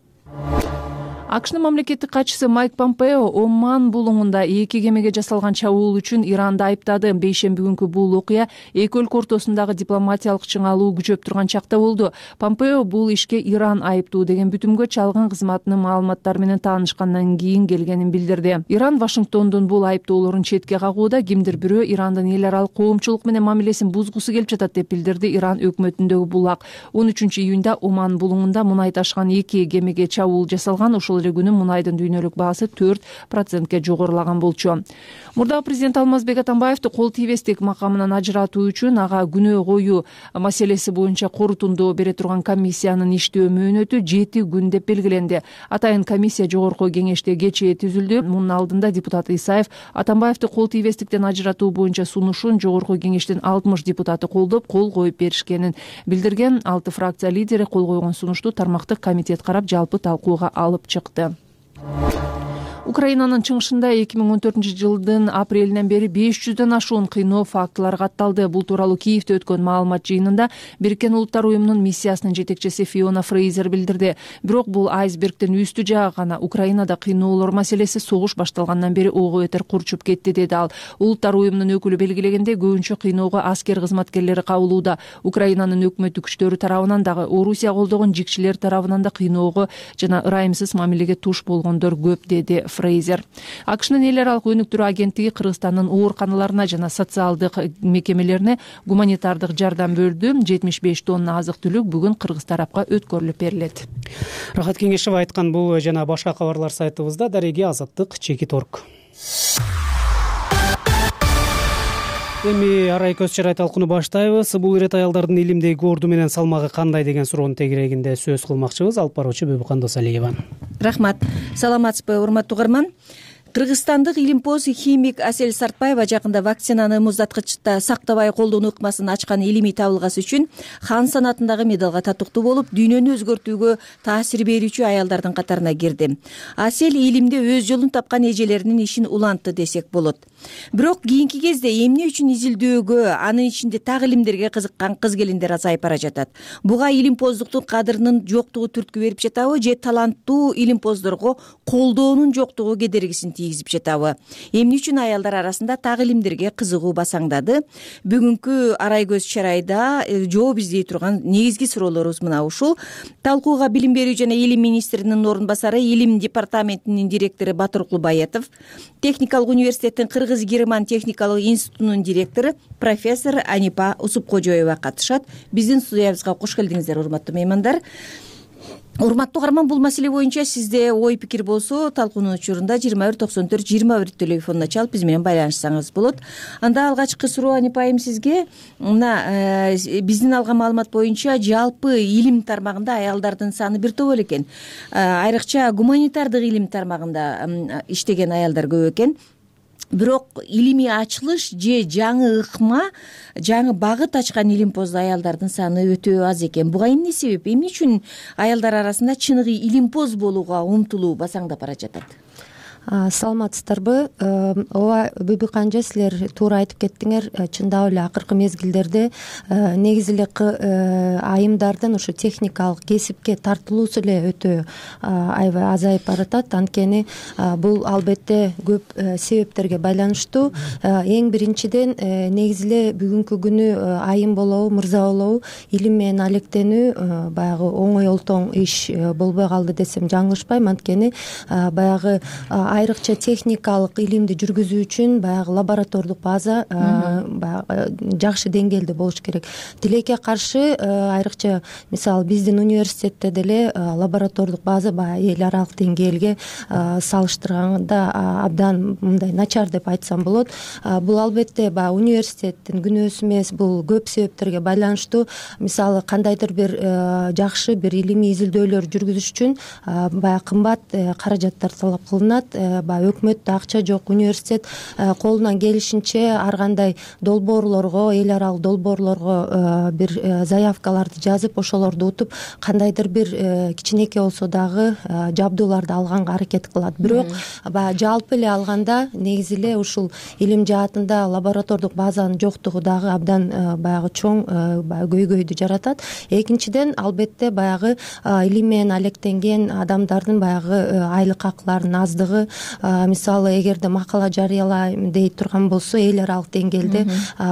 АКШнын мамлекеттик катчысы Майк Помпео Оман булуңунда эки кемеге жасалган чабуул үчүн Иранды айыптады. Бейшемби күнкү бул окуя эки өлкө ортосундагы дипломатиялык чыңалуу күчөп турган чакта болду. Помпео бул ишке Иран айыптуу деген бүтүмгө чалгын кызматынын маалыматтары менен таанышкандан кийин келгенин билдирди. Иран Вашингтондун бул айыптоолорун четке кагууда. Кимдир бирөө Ирандын эл аралык коомчулук менен мамилесин бузгусу келип жатат деп билдирди Иран өкмөтүндөгү булак. он үчүнчү июнда Оман булуңунда мунай ташыган эки кемеге чабуул жасалган. Ошол күнү мунайдын дүйнөлүк баасы төрт процентке жогорулаган болчу. Мурдагы президент Алмазбек Атамбаевди кол тийбестик макамынан ажыратуу үчүн ага күнөө коюу маселеси боюнча корутунду бере турган комиссиянын иштөө мөөнөтү жети күн деп белгиленди. Атайын комиссия жогорку кеңеште кечээ түзүлдү. Мунун алдында депутат Исаев Атамбаевди кол тийбестиктен ажыратуу боюнча сунушун жогорку кеңештин алтымыш депутаты колдоп, кол коюп беришкенин билдирген. Алты фракция лидери кол койгон сунушту тармактык комитет карап жалпы талкууга алып чыкты. Украинанын чыгышында эки миң он төртүнчү жылдын апрелинен бери беш жүздөн ашуун кыйноо фактылары катталды. Бул тууралуу Киевде өткөн маалымат жыйынында Бириккен Улуттар уюмунун миссиясынын жетекчиси Фиона Фрейзер билдирди. Бирок бул айсбергдин үстү жагы гана. Украинада кыйноолор маселеси согуш башталгандан бери ого бетер курчуп кетти, деди ал. Улуттар уюмунун өкүлү белгилегендей, көбүнчө кыйноого аскер кызматкерлери кабылууда. Украинанын өкмөттүк күчтөрү тарабынан дагы, Орусия колдогон жикчилер тарабынан да кыйноого жана ырайымсыз мамилеге туш болгондор көп, деди Фрейзер. АКШнын эл аралык өнүктүрүү агенттиги Кыргызстандын ооруканаларына жана социалдык мекемелерине гуманитардык жардам бөлдү. жетимиш беш тонна азык түлүк бүгүн Кыргыз тарапка өткөрүлүп берилет. Рахат Кеңешева айткан бул жана башка кабарлар сайтыбызда. Дареги Азаттык чекит орг. Эми арай көз чырай талкууну баштайбыз. Бул ирет аялдардын илимдеги орду менен салмагы кандай деген суроонун тегерегинде сөз кылмакчыбыз. Алып баруучу Бөбүкан Досалиева. Рахмат. Саламатсызбы, урматтуу угарман? Кыргызстандык илимпоз химик Асель Сартбаева жакында вакцинаны муздаткычта сактабай колдонуу ыкмасын ачкан илимий табылгасы үчүн Хан санатындагы медалга татыктуу болуп, дүйнөнү өзгөртүүгө таасир берүүчү аялдардын катарына кирди. Асель илимде өз жолун тапкан эжелеринин ишин улантты десек болот. Бирок кийинки кезде эмне үчүн изилдөөгө, анын ичинде так илимдерге кызыккан кыз-келиндер азайып бара жатат. Буга илимпоздуктун кадырынын жоктугу түрткү берип жатабы же таланттуу илимпоздорго колдоонун жоктугу кедергисин тийгизип жатабы? Эмне үчүн аялдар арасында так илимдерге кызыгуу басаңдады? Бүгүнкү арай көз чырайда жооп издей турган негизги суроолорубуз мына ушул. Талкууга Билим берүү жана Илим министринин орун басары, Илим департаментинин директору Батыр Кулбаетов, Техникалык университеттин Кыргыз-Герман техникалык институтунун директору профессор Анипа Усупкожоева катышат. Биздин студиябызга кош келдиңиздер, урматтуу меймандар. урматтуу угарман, бул маселе боюнча сизде ой пикир болсо талкуунун учурунда жыйырма бир токсон төрт жыйырма бир телефонуна чалып биз менен байланышсаңыз болот. Анда алгачкы суроо Анипа айым сизге. Мына биздин алган маалымат боюнча жалпы илим тармагында аялдардын саны бир топ эле экен. Айрыкча гуманитардык илим тармагында иштеген аялдар көп экен. Бирок илимий ачылыш же жаңы ыкма, жаңы багыт ачкан илимпоз аялдардын саны өтө аз экен. Буга эмне себеп? Эмне үчүн аялдар арасында чыныгы илимпоз болууга умтулуу басаңдап бара жатат? Саламатсыздарбы? Ооба, Бүбү Канжа, силер туура айтып кеттиңер. Чындап эле акыркы мезгилдерде негизи эле айымдардын ушу техникалык кесипке тартылуусу эле өтө аябай азайып баратат. Анткени бул албетте көп себептерге байланыштуу. Эң биринчиден негизи эле бүгүнкү күнү айым болобу, мырза болобу, илим менен алектенүү баягы оңой олтоң иш болбой калды десем жаңылышпайм. Анткени баягы айрыкча техникалык илимди жүргүзүү үчүн баягы лаборатордук база баягы жакшы деңгээлде болуш керек. Тилекке каршы айрыкча мисалы биздин университетте деле лаборатордук база баягы эл аралык деңгээлге салыштырганда абдан мындай начар деп айтсам болот. Бул албетте баягы университеттин күнөөсү эмес, бул көп себептерге байланыштуу. Мисалы кандайдыр бир жакшы бир илимий изилдөөлөр жүргүзүш үчүн баягы кымбат каражаттар талап кылынат. Баягы өкмөттө акча жок, университет колунан келишинче ар кандай долбоорлорго, эл аралык долбоорлорго бир заявкаларды жазып, ошолорду утуп кандайдыр бир кичинекей болсо дагы жабдууларды алганга аракет кылат. Бирок баягы жалпы эле алганда негизи эле ушул илим жаатында лаборатордук базанын жоктугу дагы абдан баягы чоң баягы көйгөйдү жаратат. Экинчиден албетте баягы илим менен алектенген адамдардын баягы айлык акыларынын аздыгы. Мисалы эгерде макала жарыялайм дей турган болсо, эл аралык деңгээлде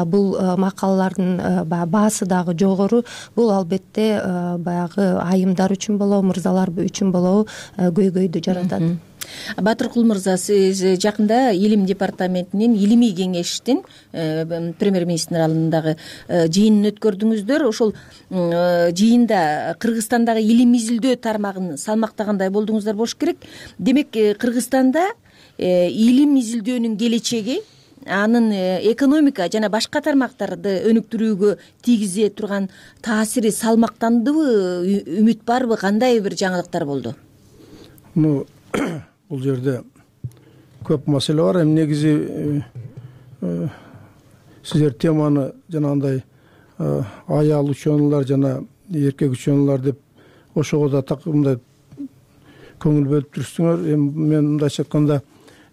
бул макалалардын баасы дагы жогору. Бул албетте баягы айымдар үчүн болобу, мырзалар үчүн болобу көйгөйдү жаратат. Батыркул мырза, сиз жакында илим департаментинин илимий кеңештин премьер-министр алдындагы жыйынын өткөрдүңүздөр. Ошол жыйында Кыргызстандагы илим изилдөө тармагын салмактагандай болдуңуздар болуш керек. Демек, Кыргызстанда илим изилдөөнүн келечеги, анын экономика жана башка тармактарды өнүктүрүүгө тийгизе турган таасири салмактандыбы, үмүт барбы, кандай бир жаңылыктар болду? Бул жерде көп маселе бар. Эми негизи сиздер теманы жанагындай аял ученыйлар жана эркек ученыйлар деп ошого да мындай көңүл бөлүп жүрсүңөр. Эми мен мындайча айтканда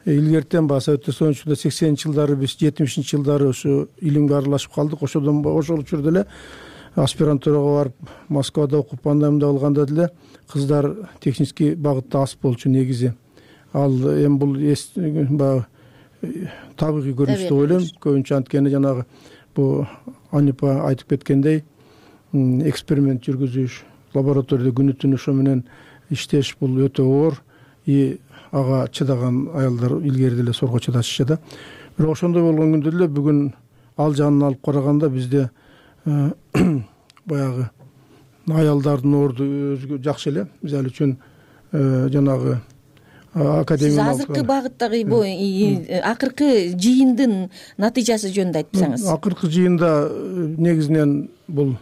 илгертен баягы Совет Союзунда сексенинчи жылдары, биз жетимишинчи жылдары ушу илимге аралашып калдык. Ошодон ошол учурда эле аспирантурага барып Москвада окуп, андайда болгондо деле кыздар технический багытта аз болчу негизи. Ал эми бул баягы табигый көрүнүш деп ойлойм. Көбүнчө анткени жанагы бул Анипа айтып кеткендей эксперимент жүргүзүш, лабораторияда күнү түнү ошо менен иштеш бул өтө оор. И ага чыдаган аялдар илгери деле сорго чыдашчу да. Бирок ошондой болгон күндө деле бүгүн ал жагын алып караганда бизде баягы аялдардын орду өзгө жакшы эле. Мисалы үчүн жанагы академия. Сиз азыркы багыттагы акыркы жыйындын натыйжасы жөнүндө айтсаңыз. Акыркы жыйында негизинен бул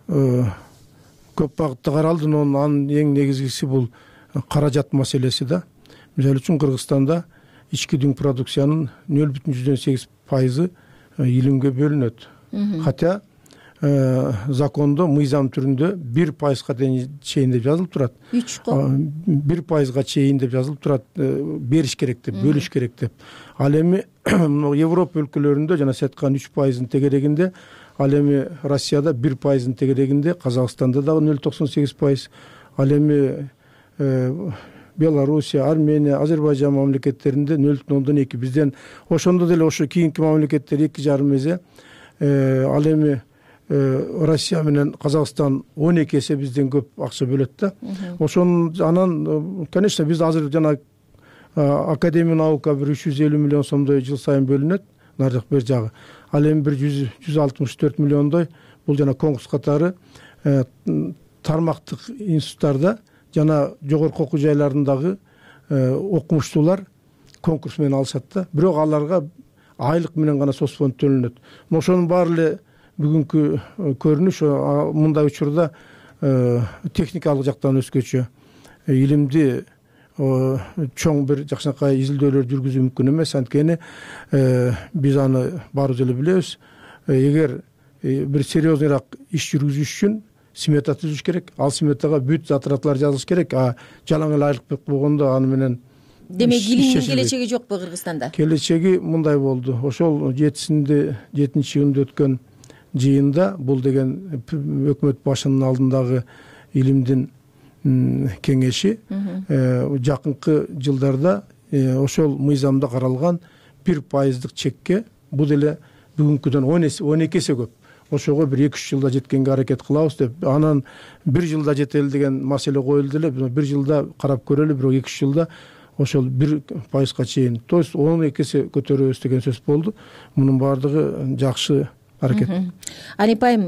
көп багытта каралды, анын эң негизгиси бул каражат маселеси да. Мисалы үчүн Кыргызстанда ички дүң продукциянын нөл бүтүн жүздөн сегиз пайызы илимге бөлүнөт. Хотя закондо мыйзам түрүндө бир пайызга чейин деп жазылып турат. үч го бир пайызга чейин деп жазылып турат, бериш керек деп, бөлүш керек деп. Ал эми Европа өлкөлөрүндө жана сиз айткан үч пайыздын тегерегинде, ал эми Россияда бир пайыздын тегерегинде, Казакстанда дагы нөл бүтүн токсон сегиз пайыз, ал эми Белоруссия, Армения, Азербайжан мамлекеттеринде нөл бүтүн ондон эки. Бизден ошондо деле ошо кийинки мамлекеттер эки жарым эсе, ал эми Россия менен Казакстан он эки эсе бизден көп акча бөлөт да. Ошон анан конечно биз азыр жана академия наука бир үч жүз элүү миллион сомдой жыл сайын бөлүнөт, нар жак бер жагы. Ал эми бир жүз алтымыш төрт миллиондой бул жана конкурс катары тармактык институттарда жана жогорку окуу жайларындагы окумуштуулар конкурс менен алышат да, бирок аларга айлык менен гана соцфонд төлөнөт. Ошонун баары эле бүгүнкү көрүнүш мындай учурда техникалык жактан өзгөчө. Илимди чоң бир жакшынакай изилдөөлөр жүргүзүү мүмкүн эмес, анткени биз аны баарыбыз эле билебиз. Эгер бир серьезныйраак иш жүргүзүш үчүн смета түзүш керек, ал сметага бүт затратлар жазылыш керек. А жалаң эле айлык болгондо аны менен демек илимдин келечеги жокпу Кыргызстанда? Келечеги мындай болду. Ошол жетисинде жетинчи июнда өткөн жыйында бул деген өкмөт башынын алдындагы илимдин кеңеши жакынкы жылдарда ошол мыйзамда каралган бир пайыздык чекке бул деле бүгүнкүдөн он эки эсе көп. Ошого бир эки үч жылда жеткенге аракет кылабыз деп, анан бир жылда жетели деген маселе коюлду эле. Бир жылда карап көрөлү, бирок эки үч жылда ошол бир пайызга чейин, то есть он эки эсе көтөрөбүз деген сөз болду. Мунун баардыгы жакшы аракет. Анеп айым,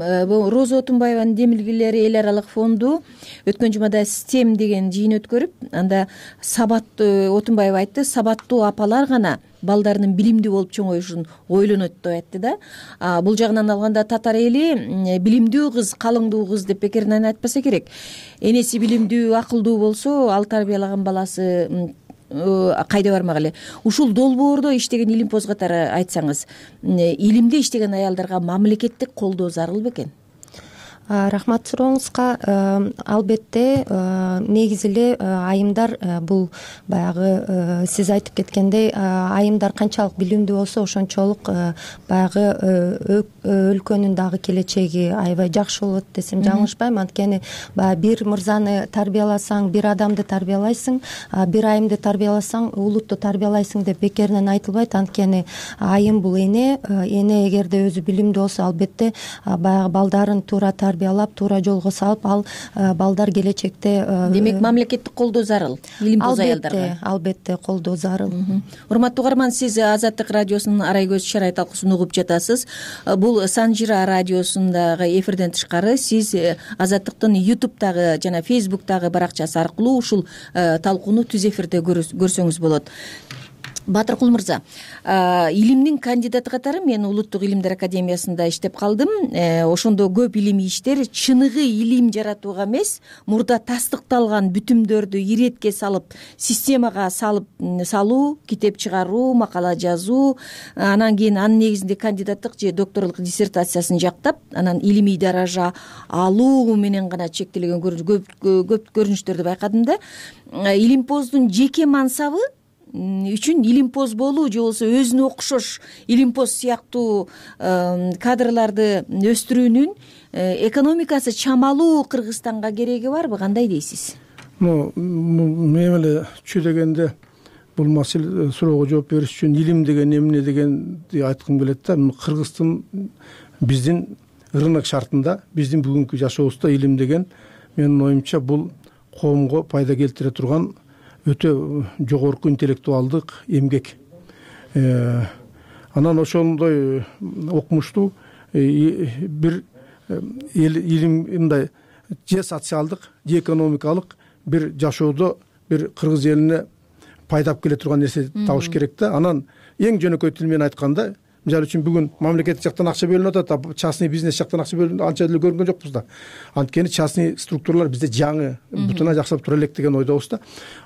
Роза Отунбаеванын демилгелери эл аралык фонду өткөн жумада стем деген жыйын өткөрүп, анда сабаттуу, Отунбаева айтты, сабаттуу апалар гана балдарынын билимдүү болуп чоңоюшун ойлонот деп айтты да. Бул жагынан алганда татар эли билимдүү кыз, калыңдуу кыз деп бекеринен айтпаса керек. Энеси билимдүү, акылдуу болсо, ал тарбиялаган баласы кайда бармак эле. Ушул долбоордо иштеген илимпоз катары айтсаңыз, илимде иштеген аялдарга мамлекеттик колдоо зарыл бекен? Рахмат сурооңузга. Албетте негизи эле айымдар бул баягы сиз айтып кеткендей, айымдар канчалык билимдүү болсо ошончолук баягы өлкөнүн дагы келечеги аябай жакшы болот десем жаңылышпайм. Анткени баягы бир мырзаны тарбияласаң, бир адамды тарбиялайсың, бир айымды тарбияласаң, улутту тарбиялайсың деп бекеринен айтылбайт. Анткени айым бул эне, эне эгерде өзү билимдүү болсо, албетте баягы балдарын туура тарбиялап, туура жолго салып, ал балдар келечекте демек мамлекеттик колдоо зарыл илимпоз аялдарга. Албетте колдоо зарыл. Урматтуу угарман, сиз Азаттык радиосунун Арай көз чарай талкуусун угуп жатасыз. Бул Санжира радиосундагы эфирден тышкары сиз Азаттыктын ютубтагы жана фейсбуктагы баракчасы аркылуу ушул талкууну түз эфирде көрсөңүз болот. Батыркул мырза, илимдин кандидаты катары мен Улуттук илимдер академиясында иштеп калдым. Ошондо көп илимий иштер чыныгы илим жаратууга эмес, мурда тастыкталган бүтүмдөрдү иретке салып, системага салып салуу, китеп чыгаруу, макала жазуу, анан кийин анын негизинде кандидаттык же докторлук диссертациясын жактап, анан илимий даража алуу менен гана чектелген көп көрүнүштөрдү байкадым да. Илимпоздун жеке мансабы үчүн илимпоз болуу же болбосо өзүнө окшош илимпоз сыяктуу кадрларды өстүрүүнүн экономикасы чамалуу Кыргызстанга кереги барбы, кандай дейсиз? Мен эле чү дегенде бул маселе суроого жооп бериш үчүн илим деген эмне дегенди айткым келет да. Кыргыздын биздин рынок шартында, биздин бүгүнкү жашообузда илим деген менин оюмча бул коомго пайда келтире турган өтө жогорку интеллектуалдык эмгек. Анан ошондой окумуштуу бир илим мындай же социалдык, же экономикалык бир жашоодо бир кыргыз элине пайдап келе турган нерсе табыш керек да. Анан эң жөнөкөй тил менен айтканда, мисалы үчүн бүгүн мамлекеттик жактан акча бөлүнүп атат, частный бизнес жактан акча бөлүнүп анча деле көргөн жокпуз да. Анткени частный структуралар бизде жаңы, бутуна жакшылап тура элек деген ойдобуз да.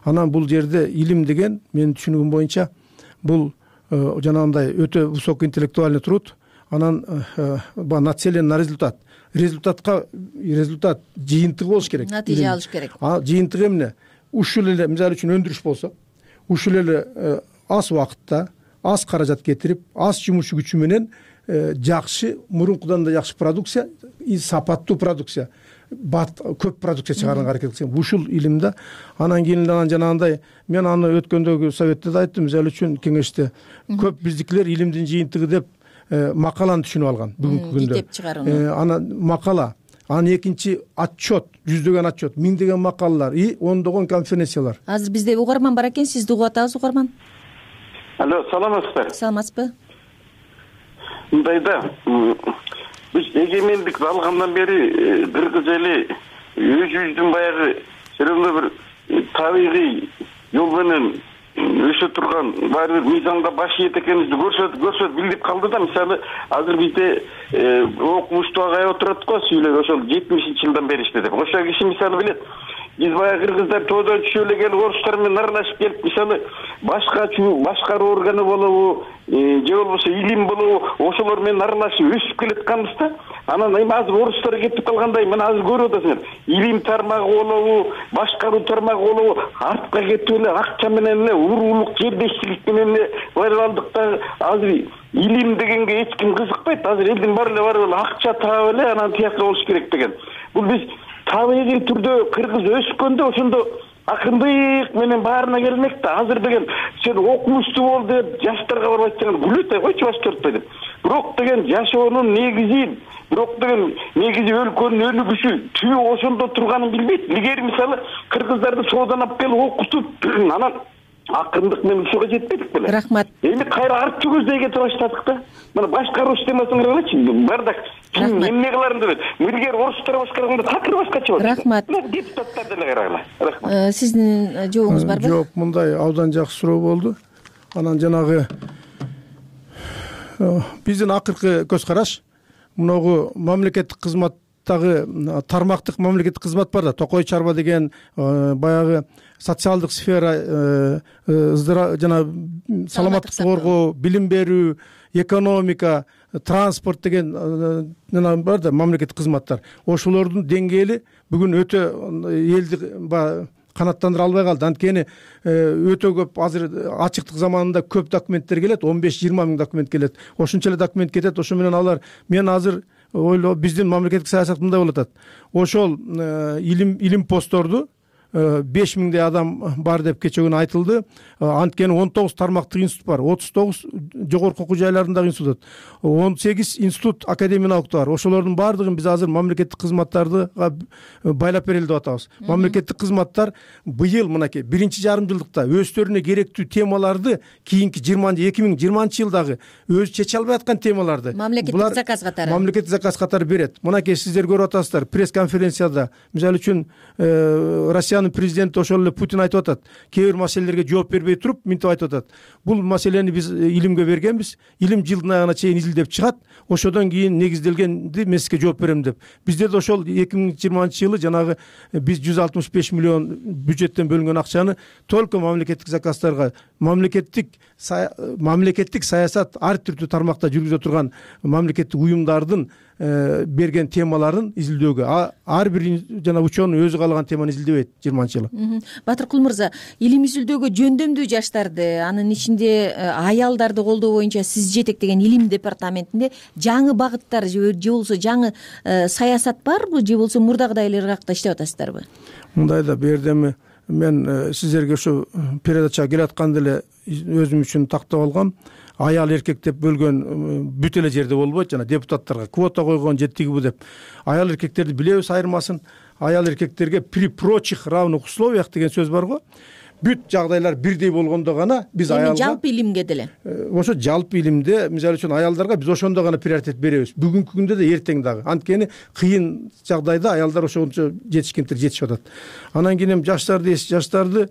Анан бул жерде илим деген менин түшүнүгүм боюнча бул жанагындай өтө высокоинтеллектуальный труд, анан нацелен на результат. Результатка результат жыйынтыгы болуш керек. Натыйжа алыш керек. Жыйынтыгы эмне? Ушул эле мисалы үчүн өндүрүш болсо, ушул эле аз убакытта аз каражат кетирип, аз жумуш күчү менен жакшы, мурункудан да жакшы продукция, сапаттуу продукция, көп продукция чыгарганга аракет кылсаң, ушул илимде. Анан кийин анан жанагындай мен аны өткөндөгү советте да айттым, мисалы үчүн кеңеште көп биздикилер илимдин жыйынтыгы деп макаланы түшүнүп алган бүгүнкү күндө. Китеп чыгарууну. Анан макала, анан экинчи отчет, жүздөгөн отчет, миңдеген макалалар и ондогон конференциялар. Азыр бизде угарман бар экен, сизди угуп атабыз, угарман. Алло, саламатсызбы? Саламатсызбы? Мындай да, биз эгемендик алгандан бери Кыргыз эли өзүбүздүн баягы серьезно бир табигый жол менен өсө турган баары бир мыйзамга баш ийет экенибизди көрсөтүп көрсөтүп билдирип калды да. Мисалы азыр бизде окумуштуу агай отурат го, сүйлөп ошол жетимишинчи жылдан бери иштедип. Ошол киши мисалы билет. Биз баягы кыргыздар тоодон түшүп эле келип орустар менен аралашып келип, мисалы башка башкаруу органы болобу, же болбосо илим болобу, ошолор менен аралашып өсүп келатканбыз да. Анан эми азыр орустар кетип калгандай, мына азыр көрүп атасыңар. Илим тармагы болобу, башкаруу тармагы болобу, артка кетип эле акча менен эле, уруулук жердешчилик менен эле барып алдык да. Азыр илим дегенге эч ким кызыкпайт. Азыр элдин баары эле барып эле акча таап эле анан тияка болуш керек деген. Бул биз табигый түрдө кыргыз өскөндө ошондо акындык менен баарына келмек да. Азыр деген сен окумуштуу бол деп жаштарга барып айтсаң күлөт, койчу баш төртпөй деп. Бирок деген жашоонун негизин, бирок деген негизи өлкөнүн өнүгүшү түбү ошондо турганын билбейт. Илгери мисалы кыргыздарды соодан алып келип окутуп, анан акындык менен ушуга жетпедик беле. Рахмат. Эми кайра артчы көздөй кетип баштадык да. Мына башкаруу системасына карачы, бардак ким эмне кыларын деп. Милгер орустар башкарганда такыр башкача болот. Рахмат. Депутаттар деле карагыла. Рахмат. Сиздин жообуңуз барбы? Жок, мындай абдан жакшы суроо болду. Анан жанагы биздин акыркы көз караш мынагу мамлекеттик кызматтагы тармактык мамлекеттик кызмат бар да, Токой чарба деген баягы социалдык сфера, жана саламаттыкты коргоо, билим берүү, экономика, транспорт деген бар да мамлекеттик кызматтар. Ошолордун деңгээли бүгүн өтө элди канаттандыра албай калды. Анткени өтө көп азыр ачыктык заманында көп документтер келет, он беш жыйырма миң документ келет. Ошончо эле документ кетет. Ошо менен алар мен азыр ойлоо биздин мамлекеттик саясат мындай болуп атат. Ошол илим илим постторду беш миңдей адам бар деп кече күнү айтылды. Анткени он тогуз тармактык институт бар, отуз тогуз жогорку окуу жайларындагы институт, он сегиз институт академия наука бар. Ошолордун баардыгын биз азыр мамлекеттик кызматтарды байлап берели деп атабыз. Мамлекеттик кызматтар быйыл мынакей биринчи жарым жылдыкта өздөрүнө керектүү темаларды кийинки эки миң жыйырманчы жылдагы өзү чече албай аткан темаларды мамлекеттик заказ катары мамлекеттик заказ катары берет. Мынакей сиздер көрүп атасыздар, пресс конференцияда мисалы үчүн Россиянын президенти ошол эле Путин айтып атат, кээ бир маселелерге жооп бербей туруп мынтип айтып атат. Бул маселени биз илимге бергенбиз. Илим жылдын аягына чейин изилдеп чыгат. Ошодон кийин негизделгенди мен сизге жооп берем деп. Бизде да ошол эки миң жыйырманчы жылы жанагы биз жүз алтымыш беш миллион бюджеттен бөлүнгөн акчаны только мамлекеттик заказдарга, мамлекеттик мамлекеттик саясат ар түрдүү тармакта жүргүзө турган мамлекеттик уюмдардын берген темаларын изилдөөгө, ар бир жана ученый өзү каалаган теманы изилдебейт жыйырманчы жылы. Батыркул мырза, илим изилдөөгө жөндөмдүү жаштарды, анын ичинде аялдарды колдоо боюнча сиз жетектеген илим департаментинде жаңы багыттар же болбосо жаңы саясат барбы, же болбосо мурдагыдай эле ыргакта иштеп атасыздарбы? Мындай да бердеми мен сиздерге ушу передачага келатканда эле өзүм үчүн тактап алгам. Аял эркек деп бөлгөн бүт эле жерде болбойт, жана депутаттарга квота койгон жетиги деп. Аял эркектерди билебиз айырмасын. Аял эркектерге при прочих равных условиях деген сөз бар го. Бүт жагдайлар бирдей болгондо гана биз аялга жалпы илимге деле. Ошо жалпы илимде мисалы үчүн аялдарга биз ошондо гана приоритет беребиз. Бүгүнкү күндө да эртең дагы. Анткени кыйын жагдайда аялдар ошончо жетишкендер жетишип атат. Анан кийин эми жаштар дейсиз, жаштарды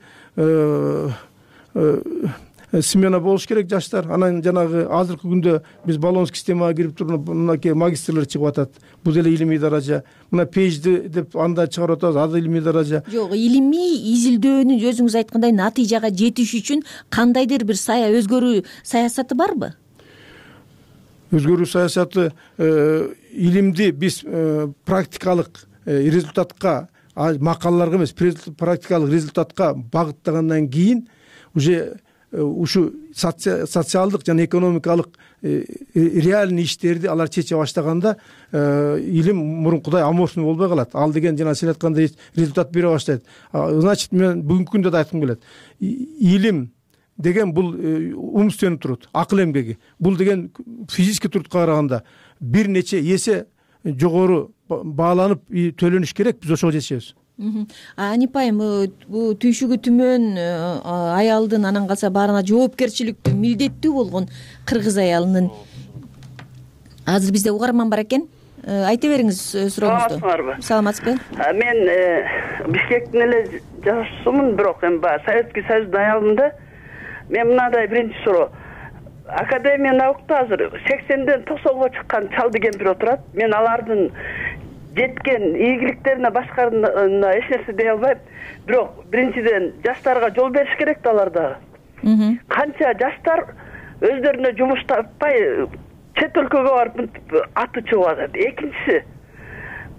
смена болуш керек жаштар. Анан жанагы азыркы күндө биз баллонский системага кирип туруп мынакей магистрлер чыгып атат. Бул деле илимий даража. Мына PhD деп анда чыгарып атабыз, ада илимий даража. Жок, илимий изилдөөнүн өзүңүз айткандай натыйжага жетиш үчүн кандайдыр бир сая өзгөрүү саясаты барбы? Өзгөрүү саясаты илимди биз практикалык результатка, макалаларга эмес, практикалык результатка багыттагандан кийин уже ушу социалдык жана экономикалык реальный иштерди алар чече баштаганда илим мурункудай аморфный болбой калат. Ал деген жана сиз айткандай результат бере баштайт. Значит, мен бүгүнкү күндө да айткым келет. Илим деген бул умственный труд, акыл эмгеги. Бул деген физический трудка караганда бир нече эсе жогору бааланып төлөнүш керек. Биз ошого жетишебиз. Анипайым, бул түйшүгү түмөн аялдын анан калса баарына жоопкерчиликтүү, милдеттүү болгон кыргыз аялынын азыр бизде угарман бар экен. айта бериңиз сурооңузду. Саламатсыңарбы? Саламатсызбы. Мен Бишкектин эле жашуусумун, бирок эми баягы Советский Союздун аялымын. Мен мындай биринчи суроо. Академия наукта азыр сексенден токсонго чыккан чалды кемпир отурат. Мен алардын жеткен ийгиликтерине башкарына эч нерсе дей албайм. Бирок биринчиден жаштарга жол бериш керек да алар дагы. Канча жаштар өздөрүнө жумуш таппай чет өлкөгө барып аты чыгып атат. Экинчиси,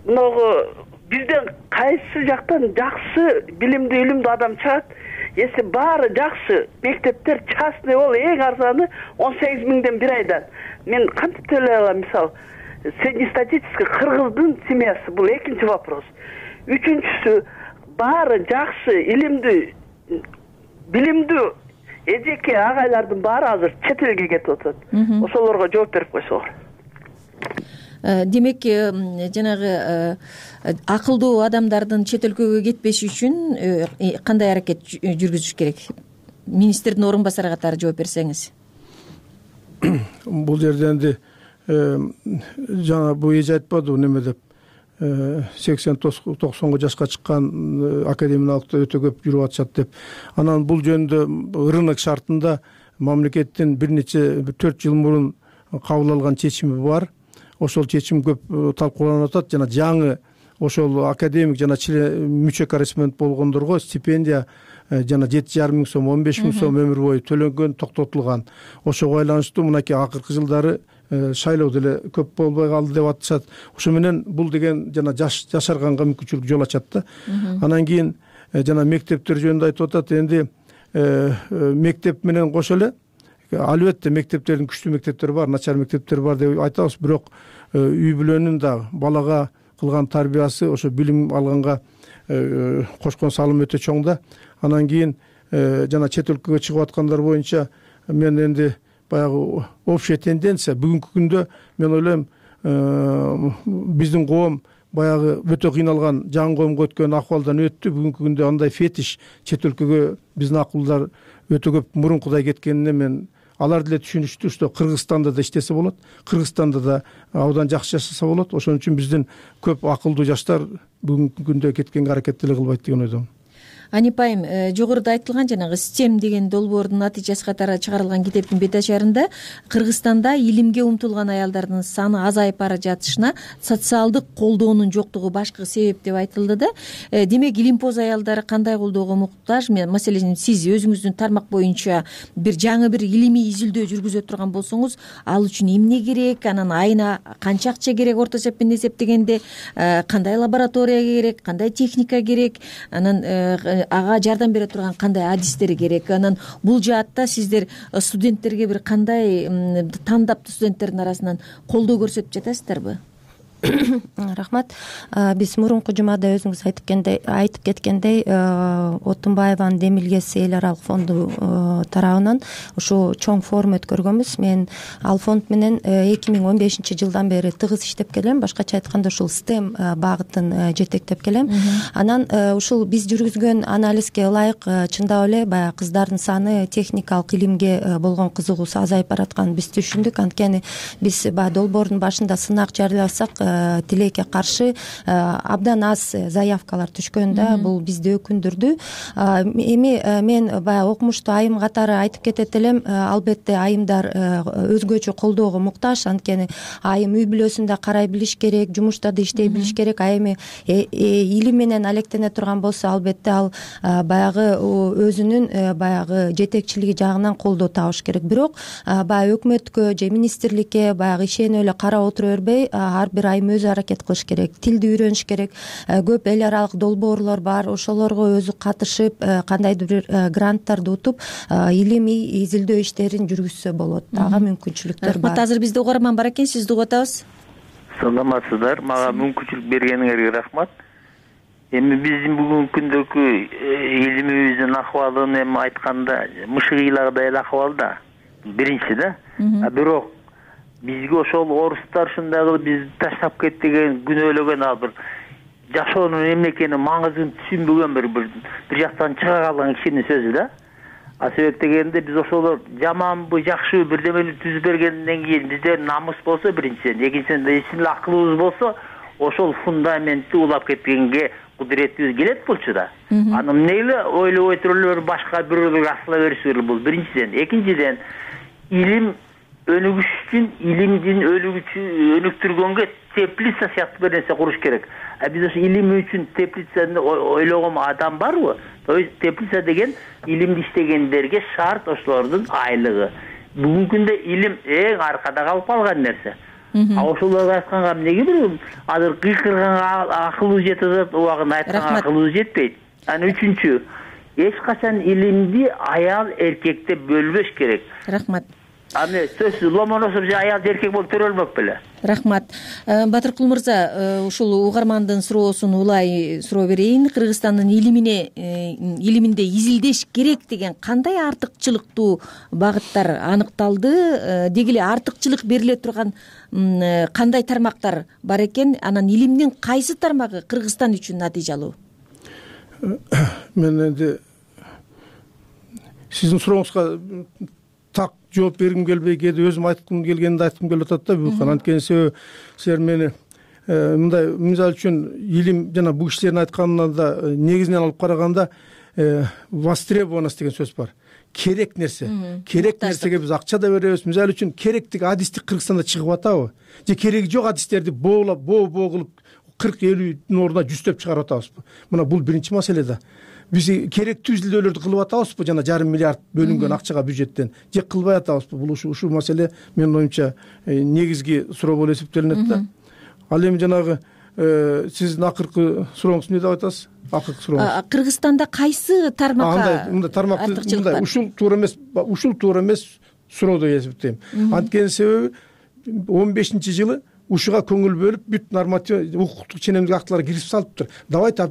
могу бизден кайсы жактан жакшы билимдүү илимдүү адам чыгат? Если баары жакшы мектептер частный бол, эң арзаны он сегиз миңден бир айдан. Мен кантип төлөй алам? Мисалы, среднестатистический кыргыздын семьясы, бул экинчи вопрос. Үчүнчүсү, баары жакшы илимдүү билимдүү эжеке агайлардын баары азыр чет элге кетип атат. Ошолорго жооп берип койсоңор. Демек, жанагы акылдуу адамдардын чет өлкөгө кетпеши үчүн кандай аракет жүргүзүш керек? Министрдин орун басары катары жооп берсеңиз. Бул жерде энди жана бул эже айтпадыбы неме деп, сексен токсонго жашка чыккан академиялыкта өтө көп жүрүп атышат деп. Анан бул жөнүндө рынок шартында мамлекеттин бир нече төрт жыл мурун кабыл алган чечими бар. Ошол чечим көп талкууланып атат. Жана жаңы ошол академик жана мүчө корреспондент болгондорго стипендия жана жети жарым миң сом, он беш миң сом өмүр бою төлөнгөн, токтотулган. Ошого байланыштуу мынакей акыркы жылдары шайлоо деле көп болбой калды деп атышат. Ошо менен бул деген жана жашарганга мүмкүнчүлүк жол ачат да. Анан кийин жана мектептер жөнүндө айтып атат. Энди мектеп менен кошо эле албетте мектептердин күчтүү мектептери бар, начар мектептер бар деп айтабыз, бирок үй бүлөнүн да балага кылган тарбиясы ошо билим алганга кошкон салым өтө чоң да. Анан кийин жана чет өлкөгө чыгып аткандар боюнча мен энди баягы общая тенденция бүгүнкү күндө мен ойлойм биздин коом баягы өтө кыйналган жаңы коомго өткөн акыбалдан өттү. Бүгүнкү күндө андай фетиш чет өлкөгө биздин акылдар өтө көп мурункудай кеткенине мен алар деле түшүнүштүү, что Кыргызстанда да иштесе болот, Кыргызстанда да абдан жакшы жашаса болот. Ошон үчүн биздин көп акылдуу жаштар бүгүнкү күндө кеткенге аракет деле кылбайт деген ойдомун. Анip айым, жогоруда айтылган жанагы STEM деген долбоордун натыйжасы катары чыгарылган китептин бет ачарында Кыргызстанда илимге умтулган аялдардын саны азайып бара жатышына социалдык колдоонун жоктугу башкы себеп деп айтылды да. Демек, илимпоз аялдары кандай колдоого муктаж? Маселен, сиз өзүңүздүн тармак боюнча бир жаңы бир илимий изилдөө жүргүзө турган болсоңуз, ал үчүн эмне керек? Анан айына канча акча керек орто эсеппен эсептегенде? Кандай лаборатория керек? Кандай техника керек? Анан ага жардам бере турган кандай адистери керек? Анан бул жаатта сиздер студенттерге бир кандай тандап студенттердин арасынан колдоо көрсөтүп жатасыздарбы? Рахмат. Биз мурунку жумада өзүңүз айтып кеткендей, Отунбаеванын Демилгес эл аралык фонду тарабынан ушу чоң форум өткөргөнбүз. Мен ал фонд менен эки миң он бешинчи жылдан бери тыгыз иштеп келем. Башкача айтканда ушул STEM багытын жетектеп келем. Анан ушул биз жүргүзгөн анализге ылайык чындап эле баягы кыздардын саны, техникалык илимге болгон кызыгуусу азайып баратканын биз түшүндүк. Анткени биз баягы долбоордун башында сынак жарыяласак, тилекке каршы абдан аз заявкалар түшкөн да, бул бизди өкүндүрдү. Эми мен баягы окумуштуу айым катары айтып кетет элем, албетте айымдар өзгөчө колдоого муктаж, анткени айым үй бүлөсүндө карай билиш керек, жумушта да иштей билиш керек. Айым илим менен алектене турган болсо, албетте ал баягы өзүнүн баягы жетекчилиги жагынан колдоо табыш керек. Бирок баягы өкмөткө же министрликке баягы ишенип эле карап отура бербей, ар бир айым өзү аракет кылыш керек, тилди үйрөнүш керек. Көп эл аралык долбоорлор бар, ошолорго өзү катышып, кандайдыр бир гранттарды утуп, илимий изилдөө иштерин жүргүзсө болот. Ага мүмкүнчүлүктөр бар. Азыр бизде угарман бар экен, сизди угуп атабыз. Саламатсыздар, мага мүмкүнчүлүк бергениңерге рахмат. Эми биздин бүгүнкү күндөгү илимибиздин акыбалын эми айтканда мышыгыйлагыдай эле акыбал да. Биринчи да. Бирок бизге ошол орустар ушундай кылып бизди таштап кетти деген күнөөлөгөн, ал бир жашоонун эмне экенин маңызын түшүнбөгөн бир бир жактан чыга калган кишинин сөзү да. а себеп дегенде биз ошолор жаманбы жакшыбы бирдемени түзүп бергенден кийин бизде намыс болсо биринчиден, экинчиден чын эле акылыбыз болсо ошол фундаментти улап кеткенге кудуретибиз келет болчу да. Аны эмне эле ойлобой туруп эле башка бирөөлөргө асыла беришибиз бул биринчиден. Экинчиден илим өнүгүш үчүн илимдин өнүктүргөнгө теплица сыяктуу бир нерсе куруш керек. А биз ошо илим үчүн теплицаны ойлогон адам барбы? То есть теплица деген илимди иштегендерге шарт ошолордун айлыгы. Бүгүнкү күндө илим эң аркада калып калган нерсе. А ошолорго айтканга эмнеге бир азыр кыйкырганга акылыбыз жетип атат, убагында айтканга акылыбыз жетпейт. Анан үчүнчү, эч качан илимди аял эркекте бөлбөш керек. Рахмат. Аны сөзсүз ломоносов же аял же эркек болуп төрөлмөк беле. Рахмат. Батыркул мырза, ушул угармандын суроосун улай суроо берейин. Кыргызстандын илимине илиминде изилдеш керек деген кандай артыкчылыктуу багыттар аныкталды? Деги эле артыкчылык бериле турган кандай тармактар бар экен? Анан илимдин кайсы тармагы Кыргызстан үчүн натыйжалуу? Мен энди сиздин сурооңузга так жооп бергим келбей, кээде өзүм айткым келгенди айткым келип атат да. Бул анткени себеби силер мени мындай мисалы үчүн илим жана бул кишилердин айтканына да негизинен алып караганда востребованность деген сөз бар. Керек нерсе. Керек нерсеге биз акча да беребиз. Мисалы үчүн керектик адистик Кыргызстанда чыгып атабы? Же кереги жок адистерди боолап, боо-боо кылып кырк элүүнүн ордуна жүздөп чыгарып атабызбы? Мына бул биринчи маселе да. Биз керектүү изилдөөлөрдү кылып атабызбы жана жарым миллиард бөлүнгөн акчага бюджеттен? Же кылбай атабызбы? Бул ушул маселе менин оюмча негизги суроо болуп эсептелинет да. Ал эми жанагы сиздин акыркы сурооңуз эмне деп атасыз? Акыркы сурооңуз. Кыргызстанда кайсы тармакка? Мындай тармакты мындай ушул туура эмес, ушул туура эмес суроо деп эсептейм. Анткени себеби он бешинчи жылы ушуга көңүл бөлүп бүт норматив укуктук ченемдик актылар кирип салыптыр. Давайте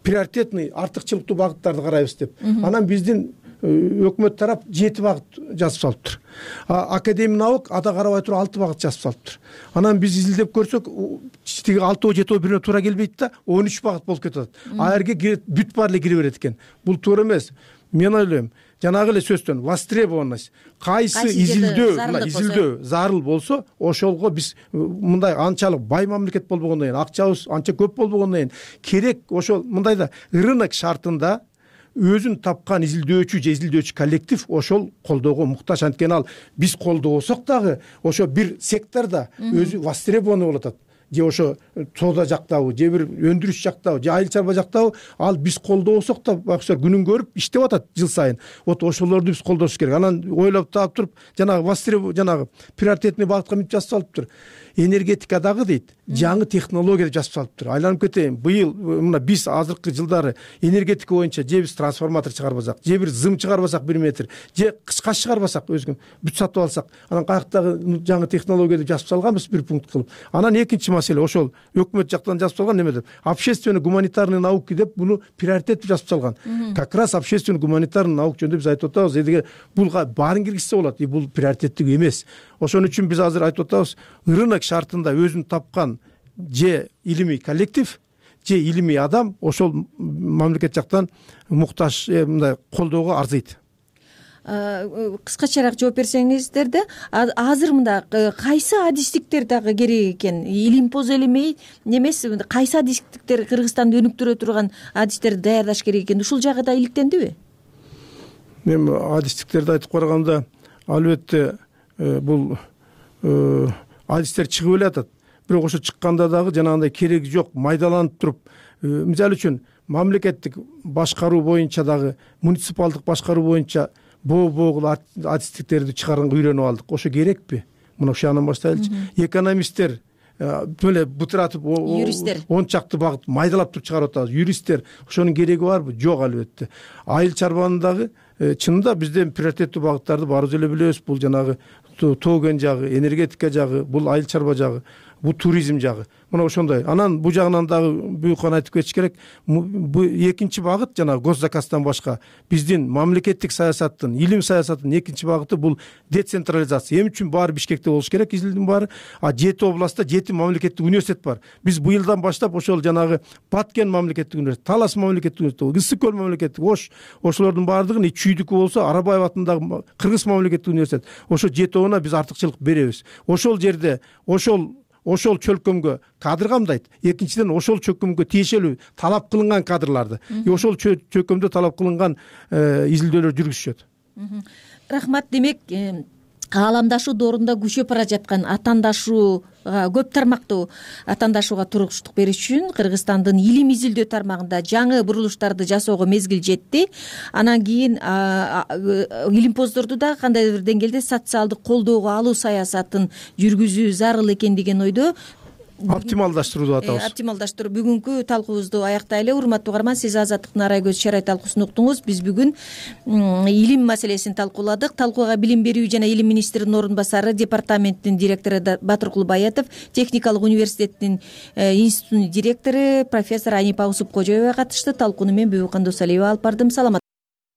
приоритетный артыкчылыктуу багыттарды карайбыз деп. Анан биздин өкмөт тарап жети багыт жазып салыптыр. Академия наук ада карабай туруп алты багыт жазып салыптыр. Анан биз изилдеп көрсөк, тиги алтоо жетөө бирине туура келбейт да, он үч багыт болуп кетип атат. А жерге бүт баары эле кире берет экен. Бул туура эмес. Мен ойлойм, жанагы эле сөздөн востребованность, кайсы изилдөө, мына изилдөө зарыл болсо, ошолго биз мындай анчалык бай мамлекет болбогондон кийин, акчабыз анча көп болбогондон кийин керек ошол мындай да рынок шартында өзүн тапкан изилдөөчү же изилдөөчү коллектив ошол колдоого муктаж. Анткени ал биз колдобосок дагы ошо бир секторда өзү востребованный болуп атат. Же ошо соода жактабы, же бир өндүрүш жактабы, же айыл чарба жактабы, ал биз колдобосок да бакчылар күнүн көрүп иштеп атат жыл сайын. Вот ошолорду биз колдош керек. Анан ойлоп таап туруп, жанагы востреб жанагы приоритетный багытка мынтип жазып салыптыр. Энергетикадагы дейт, жаңы технология деп жазып салыптыр. Айланып кетейин, быйыл мына биз азыркы жылдары энергетика боюнча же биз трансформатор чыгарбасак, же бир зым чыгарбасак бир метр, же кышкаш чыгарбасак өзгөн бүт сатып алсак, анан каяктагы жаңы технология деп жазып салганбыз бир пункт кылып. Анан экинчи маселе ошол өкмөт жактан жазып салган неме деп, общественно гуманитарный науки деп буну приоритет жазып салган. Как раз общественно гуманитарный наук жөнүндө биз айтып атабыз, эдиге булга баарын киргизсе болот, и бул приоритеттик эмес. Ошон үчүн биз азыр айтып атабыз, рынок шартында өзүн тапкан же илимий коллектив, же илимий адам ошол мамлекет жактан муктаж мындай колдоого арзыйт. Кыскачараак жооп берсеңиздер да, азыр мында кайсы адистиктер дагы керек экен? Илимпоз элемей эмес, кайсы адистиктер Кыргызстанды өнүктүрө турган адистерди даярдаш керек экен? Ушул жагы да иликтендиби? Мен адистиктерди айтып караганда, албетте бул адистер чыгып эле атат. Бирок ошо чыкканда дагы жанагындай кереги жок, майдаланып туруп, мисалы үчүн мамлекеттик башкаруу боюнча дагы, муниципалдык башкаруу боюнча боо-боогул адистиктерди чыгарганга үйрөнүп алдык. Ошо керекпи? Мына ушудан баштайлычы. Экономисттер эле бутуратып, он чакты багыт майдалап туруп чыгарып атабыз. Юристтер, ошонун кереги барбы? Жок, албетте. Айыл чарбанын дагы чынында бизден приоритеттүү багыттарды баарыбыз эле билебиз. Бул жанагы тоо кен жагы, энергетика жагы, бул айыл чарба жагы. бул туризм жагы мына ошондой. Анан бул жагынан дагы буюкан айтып кетиш керек. Бул экинчи багыт жана госзаказдан башка биздин мамлекеттик саясаттын, илим саясатынын экинчи багыты бул децентрализация. Эми үчүн баары Бишкекте болуш керек, изилдин баары. А жети областта жети мамлекеттик университет бар. Биз быйылдан баштап ошол жанагы Баткен мамлекеттик университет, Талас мамлекеттик университет, Ысык көл мамлекеттик, Ош, ошолордун баардыгын Чүйдүкү болсо Арабаев атындагы Кыргыз мамлекеттик университет. Ошо жетөөнө биз артыкчылык беребиз. Ошол жерде ошол ошол чөлкөмгө кадр камдайт. Экинчиден ошол чөлкөмгө тиешелүү талап кылынган кадрларды, ошол чөлкөмдө талап кылынган изилдөөлөр жүргүзүшөт. Рахмат. Демек, кааламдашуу доорунда күчөп бара жаткан атаандашууга, көп тармактуу атаандашууга туруктук бериш үчүн Кыргызстандын илим изилдөө тармагында жаңы бурулуштарды жасоого мезгил жетти. Анан кийин илимпоздорду да кандайдыр бир деңгээлде социалдык колдоого алуу саясатын жүргүзүү зарыл экен деген ойдо. Оптималдаштыруу деп атабыз. Оптималдаштыруу. Бүгүнкү талкуубузду аяктайлы. Урматтуу угарман, сиз Азаттыктын арай көз чарай талкуусун уктуңуз. Биз бүгүн илим маселесин талкууладык. Талкууга билим берүү жана илим министринин орун басары, департаменттин директору Батыркул Баятов, техникалык университеттин институтунун директору профессор Анипа Усупкожоева катышты. Талкууну мен Бүбүкан Досалиева алып бардым. Саламат